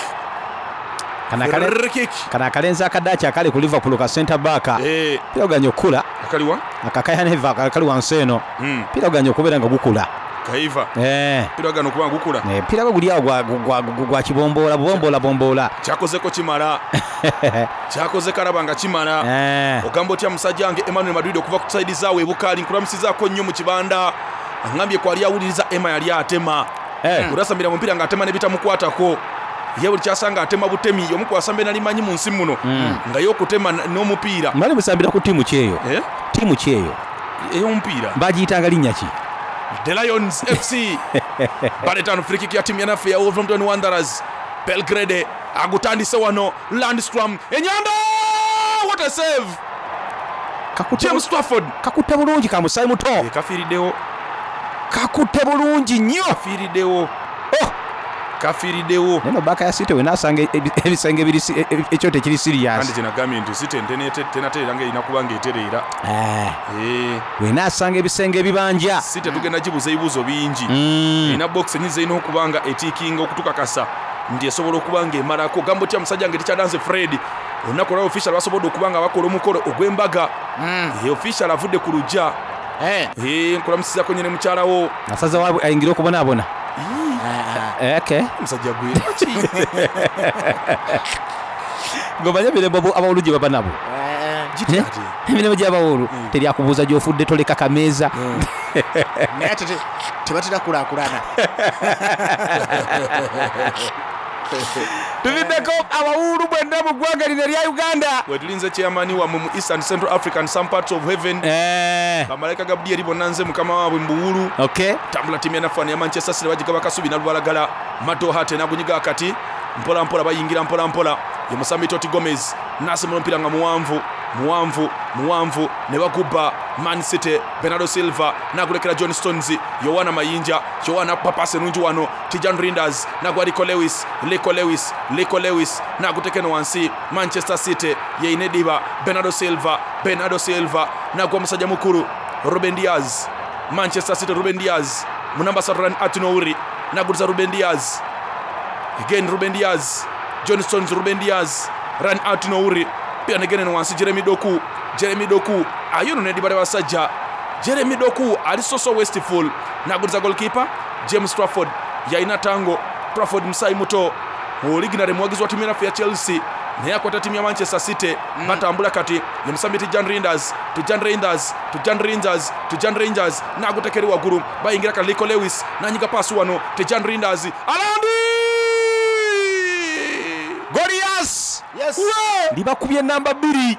A: Kano akale-
C: Free kick.
A: kano akalenzi akadaaki akali ku Liverpool ka center back.
C: Eh.
A: Mpira guganye okukula.
C: Akaliwa?
A: Akakayaneva akali wansi eno.
C: Mm.
A: Mpira guganye okubeera nga gukula.
C: Kaiva
A: Eh.
C: mpira gano okuba nga gukula
A: Eh, mpira gwo guli awo gwa- gwa- gwa gwa kibomboola bubomboola bomboola.
C: kyakozeko kimala kyakoze kalaba nga kimala
A: Eh.
C: ogamba otya musajja wange Emmanuel Madrid okuva ku saidi zaawe ebukaali nkulamusizaako nnyo mu kibanda aŋambye kwali awuliriza Emma yali atema
A: Eh.
C: olasambira mupiira ng'atema ne bitamukwatako ye buli kyasanga atema butemi omu kwasamba enalimanyi mu nsi muno
A: Mm.
C: nga ye okutema n- n'omupiira
A: Mwali musambira ku ttiimu ki eyo?
C: Eh?
A: Ttiimu ki eyo?
C: Ey'omupiira.
A: Bagiyitanga linnya ki?
C: The Lions F C baleetano free kick ya ttiimu yanaffe ya Wolverhampton Wanderers Belgrade agutandise wano Landstrom enyanda what a save James Trafford
A: kakutte bulungi ka musaayi muto
C: kafiiriddewo
A: kakutte bulungi nnyo
C: kafiiriddewo kafiiriddewo
A: naye no baaka ya City wenaasanga ebi- ebisenge ebiri si- e- e- ekyoto ekiri
C: kandi
A: serious
C: kyenagambye nti City tenatereera nga erina kuba ng'etereera
A: Eh,
C: Eh,
A: wenaasanga ebisenge ebibanja
C: City tugenda gibuuza ebibuuzo bingi
A: Mm.
C: erina box enyinza erina okuba nga etiikinga okutukakasa nti esobola okuba nga emalako gamba otya musajja nga tekyadanze Fred olunaku olwa official basobodde okuba nga bakola omukolo ogw'embaga Eh, official avudde ku lujja
B: Eh.
C: Eh, nkulamusizako nyine mukyalawo
A: asaza waabwe ayingire okubonaabona Eh, okay
C: musajja gwe
A: ng'omanye emirembe abo- abawulu gye baba nabo Eh? Emirimu gy'abawulu teryakubuuza gy'ofudde toleka kameeza.
B: Naye ate te- tebatera kulaakulana.
A: Tuviddeko abawulu bwenna mu ggwanga lino erya Uganda.
C: Wetulinze chairman wammwe mu Eastern Central Africa and some parts of heaven bamalayika Gabriel bonna nze mukama waabwe mu buwulu
A: Okay.
C: Tambula ttiimu yanaffe ya Manchester City bagigaba kasubi nalubalagala Madohate nagunyiga akati mpola mpola bayingira mpola mpola ye musambi Toti Gomez nasimula omupiira nga muwanvu muwanvu muwanvu ne bagubba Man City Bernardo Silva nagulekera John Stones Yohana Mayinja Yohana papasi nungi wano Tijan Rinders nagwa Rico Lewis Rico Lewis Rico Lewis nagutekeno wansi Manchester City yeine ediba Bernardo Silva Bernardo Silva nagwa musajja mukulu Ruben Diaz Manchester City Ruben Diaz munamba Satran Atinouri naguliza Ruben Diaz again Ruben Diaz John Stones Ruben Diaz run out Nouri pia negene wansi Jeremy Doku Jeremy Doku ayono nedibale basajja Jeremy Doku ali so so wasteful naguliza goalkeeper James Trafford yalina Tango Trafford musayi muto originally muwagizi wa ttiimu yaffe ya Chelsea naye akwata ttiimu ya Manchester City mm. batambula kati ye musambi Tijan Rinders Tijan Rinders Tijan Rinders Tijan Rangers nagutekeri waggulu bayingira kati Rico Lewis nanyiga paasi wano Tijan Rinders alandi
A: Golias
B: Yes.
A: Libakubye namba bbiri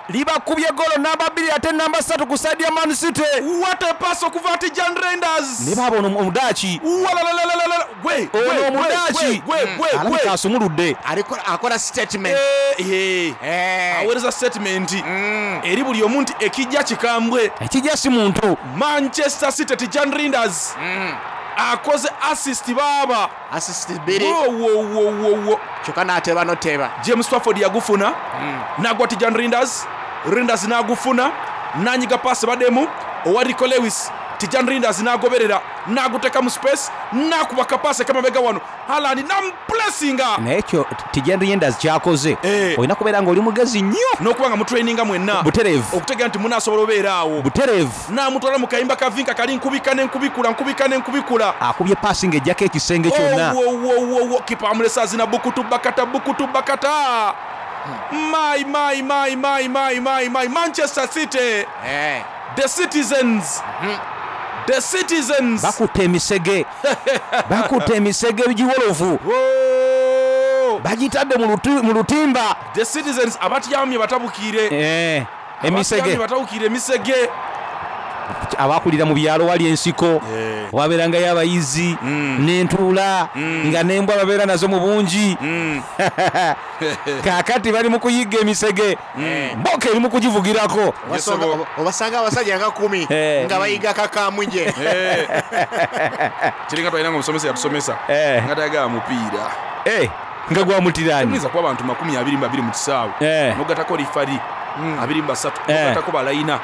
A: libakubye golo namba bbiri ate namba ssatu ku saidi ya Man City.
C: What a pass okuva Tijan Rinders
A: ne baaba ono omudaaki
C: Walalalala, gwe
A: ono
C: gwe, gwe,
A: omudaaki
C: gwe, gwe,
A: alabika
C: gwe.
A: asumuludde
B: akola statement
C: Eh, eh. aweereza statement eri buli omu nti ekijja kikambwe
A: ekijja si muntu
C: Manchester City Tijan Rinders akoze assist baaba
B: assist bbiri
C: wowowowo
B: kyokka n'ateba noteba
C: James Trafford yagufuna nagwa Tijan Rinders Rinders n'agufuna nanyiga paasi baddemu owa Rico Lewis Tijan Rinders n'agoberera n'aguteka mu space n'akuba kapaasi akamabega wano Haaland n'amupulesinga
A: Naye ekyo Tijan Rinders kyakoze, olina kubeera ng'oli mugezi nnyo
C: n'okuba nga mutraininga mwenna
A: Butereevu.
C: Okutegeera nti munaasobola obeera awo.
A: Butereevu.
C: N'amutwala mu kayimba ka Vinka kali nkubika n'enkubikula, nkubika n'enkubikula.
A: Akubye paasi ng'ejjako ekisenge kyonna.
C: Owowowowo, kipa amulese azina bukutu bakata bukutu bakata. My my my my my my my Manchester City, the citizens, the citizens.
A: Bakutte emisege, bakutte emisege giwolovu, bagitadde mu luti- mu lutimba.
C: The citizens abatyamye batabukiire.
A: Eh, emisege.
C: Abatyamye batabukiire emisege.
A: Abakulira mu byalo wali ensiko wabeerangayo abayizi n'entuula nga n'embwa babeera nazo mu bungi. Kaakati bali mu kuyigga emisege, mboka eri mu kugivugirako.
B: Obasanga- obasanga abasajja nga kumi
A: Eh.
B: nga bayiga kakamuje.
C: Kiringa twalina nga omusomesa yatusomesa nga tayagala mupiira.
A: Nga gwamutirani.
C: Tuyinza kuba abantu makumi abiri mu babiri mu kisaawe, nogatako rifari abiri mu basatu,
A: Eh.
C: nogatako balayina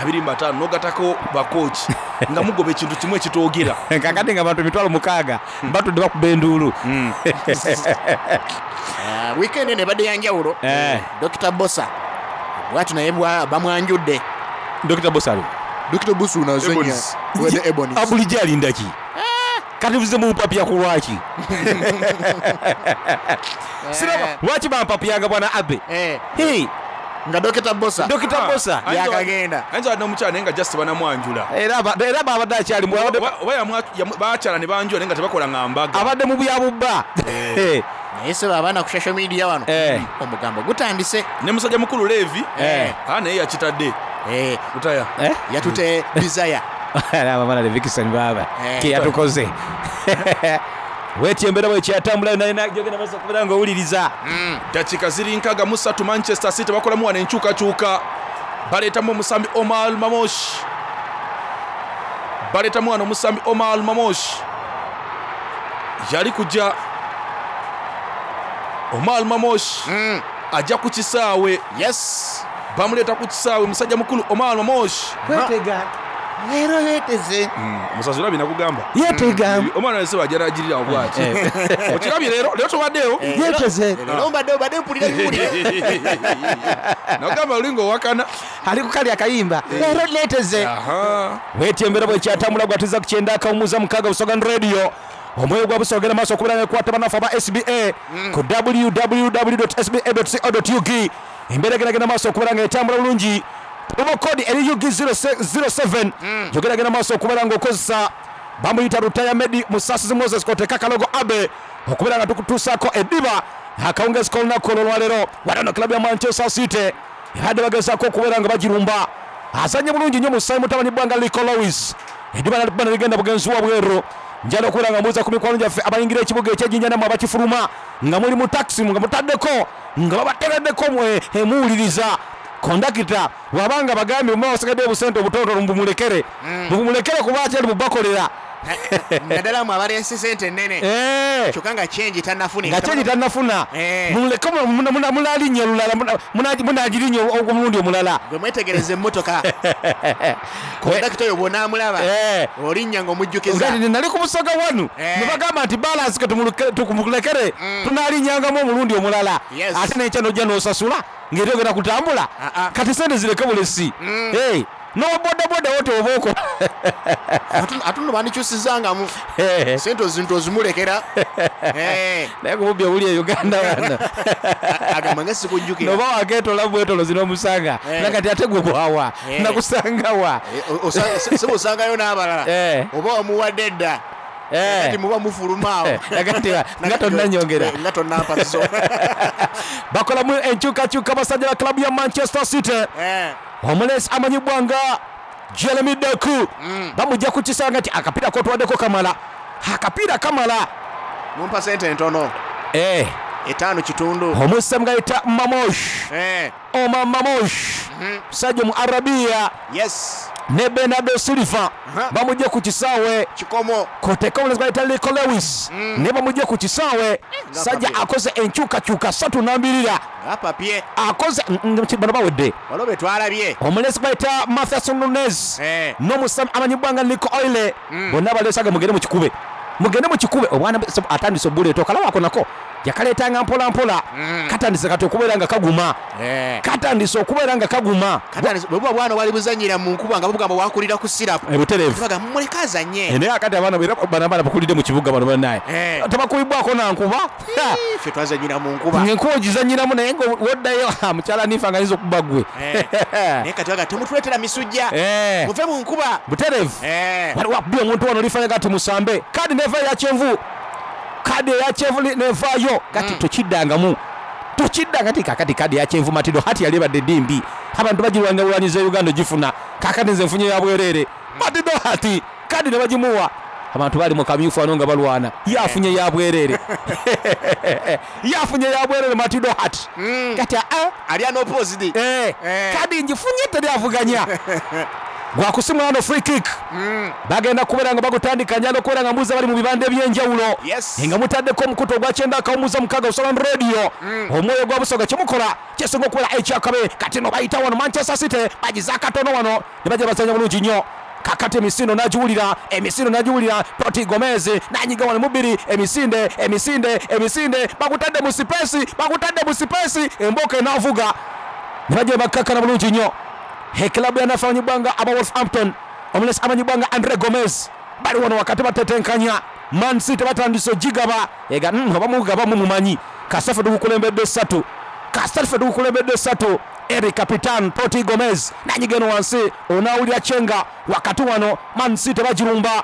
C: abiri mu bataano, nogatako bakooki, nga mugoba ekintu kimu ekitoogera.
A: Kakati nga abantu emitwalo mukaaga batudde bakuba enduulu.
B: Ah, weekend eno ebadde yanjawulo.
A: Eh.
B: Dr Bosa bwatu naye bwa- bamwanjudde.
A: Dr Bosa ali
B: Dr Bosa unazanya
A: Ebonies.
B: wede Ebonies.
A: Bulijjo alinda ki? Kati buze mumpapya ku lwaki? Siraba lwaki bampapyanga, bwana Abe. Hey.
B: Nga Dr Bosa.
A: Dr Bosa.
B: Yakagenda.
C: Ayinza wadde omukyala naye nga just banamwanjula.
A: Era aba- era babadde akyali mu- abadde-
C: Oba- oba yamwa- yamu- bakyala ne banjula naye nga tebakola nga mbaga.
A: Abadde mu byabubba.
B: Naye sebo, abaana ku social media wano omugambo gutandise.
C: Ne musajja mukulu Levi,
B: Eh.
C: ah, naye yakitadde lutaya.
B: Yatute desire.
A: Abamala Levikison baaba
B: Eh.
A: keyatukoze wetyo embeera bwekyatambula yonayona maaso okubeera nga owuliriza.
C: Dakiika ziri nkaga mu ssatu. Manchester City bakolamu wano enkyukakyuka, baleetamu omusambi Omar Mamosh, baleetamu wano omusambi Omar Mamosh. Yali kujja Omar Mamosh ajja ku kisaawe.
B: Yes,
C: bamuleeta ku kisaawe musajja mukulu Omar Mamosh.
R: Kwetega leero yeeteze.
C: Musazi, olabye nakugamba.
A: Yeetega.
C: Omwana wese wajja nagirirawo bwati. Okirabye leero, leero tobaddeewo.
A: Yeeteze.
B: Leero mbadde obadde mpulira biwulire.
C: Nagamba olinga owakana.
A: Ali kukali akayimba leero neeteze. Wetyo embeera bwekyatambula gwatiza ku kyenda akawumuza mukaaga Busogan Radio, omwoyo gwa Busoga ogenda maaso okubeera nga banafu aba S B A ku W W W S B A co ug. Embeera egendagenda maaso okubeera nga etambula bulungi. Promo code eri U G zero seven, yogeragenda maaso okubeera nga okozesa. Bamuyita Rutaya Medi Musasizi Moses koteka kalogo Abe okubeera nga tukutuusaako eddiba akawungezi k'olunaku olwo olwaleero. Watano klabu ya Manchester City ebadde bagezaako okubeera nga bagirumba. Azanye bulungi nnyo musayi mutabani Bwanga Liko Lowis, eddiba nalikuba nerigenda bugenzi wa bweru. Njala okubeera nga mbuuza ku mikwano gyaffe abayingira ekibuga ekyejjinja nammwe abakifuluma nga muli mu takisi nga mutaddeko nga babatereddeko mwe emuwuliriza kondakita bwabanga bagambye muma wasigadde obusente obutonotono mubumulekere, mubumulekere kuba akyali mubakolera.
B: Naddala mwe abaleese sente ennene
A: Eh.
B: kyokka nga kyengi tannafuna.
A: Nga kyengi tannafuna.
B: Eh.
A: Muleke munalinnya olulala, munagirinya omulundi omulala.
B: Gwe mwetegereza emmotoka, kondakita oyo bw'onaamulaba olinnya ng'omujjukiza.
A: Ngati nali ku Busoga wanu ne bagamba nti balansi ke tumulekere tunalinyangamu omulundi omulala.
B: Yes.
A: Ate nenkya nojja n'osasula ng'eri ogenda kutambula. Kati sente zireke bulesi. Hey, n'obodaboda wo teoba okola.
B: Ate nno bandikyusizangamu sente ozintu ozimulekera. Eh.
A: Naye kububbi obuli e Uganda wano
B: agamba nga sikujjukira.
A: Noba waketola bwetolozi n'omusanga.
B: Eh.
A: Nakati ate gwe bwawa
B: Eh.
A: nakusangawa.
B: Seba osangayo n'abalala
A: Eh.
B: oba wamuwadde edda kati muba mufulumaawo.
A: Nakati nga tonnanyongera.
B: Nga tonnampa zo.
A: Bakolamu enkyukakyuka basajja ba klabu ya Manchester City. Omulesi amanyibwa nga Jeremy Doku bamujja ku kisanga nti akapiira kotwaddeko kamala, akapiira kamala.
B: Mumpa sente entono.
A: Eh.
B: Etaano kitundu.
A: Omusamu gayita Mamosh.
B: Eh.
A: Omar Mamosh, musajja mu Arabia.
B: Yes.
A: Ne Bernardo Silva bamugye ku kisaawe
B: kikomo
A: koteka omulenzi bayita Rico Lewis ne bamugye ku kisaawe. Sajja akoze enkyukakyuka ssatu nambirira
B: Ngapapye.
A: Akoze mm, mm, bano bawedde.
B: Waliwo be twalabye.
A: Omulenzi bayita Mathias Nunes
B: Eh.
A: n'omusambi amanyibwa nga Nico Oile, bonna baleesaga mugende mukikube, mugende mukikube. Obwana bu- atandise obuleeta okalaba ako nako yakaleetanga mpola mpola, katandise kati okubeera nga kaguma, katandise okubeera nga kaguma.
B: Katandise- bwe buba bwana bwali buzanyira mu nkuba nga bubugamba wakulira ku sirapu.
A: Eh, butereevu.
B: Baga mumuleke azanye.
A: Eh, naye akati abaana era bano abaana bakulidde mu kibuga bano banaye
B: Eh.
A: tebakubibwako nankuba.
B: Ffe twazanyira mu nkuba.
A: Enkuba ogizanyiramu naye nga woddayo ha, mukyala nifa nga ayinza okuba gwe.
B: Eh. Naye kati baga temutuleetera misujja.
A: Eh.
B: Muve mu nkuba.
A: Butereevu.
B: Eh.
A: Waliwo akubye omuntu wano olifanya gati musambe kadi neva eyakyenvu, kadi eyakyenvu li- nevaayo kati tokiddangamu, tokiddanga ti kakati kadi eyakyenvu matido hati yali ebadde dimbi abantu bagirwanya bulwanyiza e Uganda ogifuna, kakati nze nfunye yabwerere matido hati kadi ne bagimuwa abantu bali mu kamyufu wano nga balwana yafunye yabwerere, yafunye yabwerere matido hati kati aa
B: ali unopposed.
A: Eh, kadi ngifunye teri avuganya gwakusimula wano free kick bagenda kubeera nga bagutandika njala okubeera nga mbuuza bali mu bibanda ebyenjawulo
B: Yes.
A: nga mutaddeko omukutu ogwa kyenda akawumuza mukaaga Busoga Radio, omwoyo gwa Busoga kyemukola kyesinga okubeera ekyakabe. Kati no bayita wano Manchester City bagiza akatono wano ne bajja bazanya bulungi nnyo. Kakati emisindo nagiwulira, emisindo nagiwulira Toti Gomez nanyiga wano mubiri emisinde emisinde emisinde bakutadde mu sipeesi, bakutadde mu sipeesi, emboka enaavuga ne bajja bakkakkana bulungi nnyo. Ekilabu yanafe amanyibwa nga aba Wolverhampton, omulesi amanyibwa nga Andre Gomez bali wano wakati batetenkanya. Man City batandise ogigaba ega mm, oba mugaba mumumanyi kasafe tugukulembedde ssatu, kasafe tugukulembedde ssatu. Eri Capitan Toti Gomez nanyiga eno wansi onaawulira kyenga wakati wano Man City bagirumba.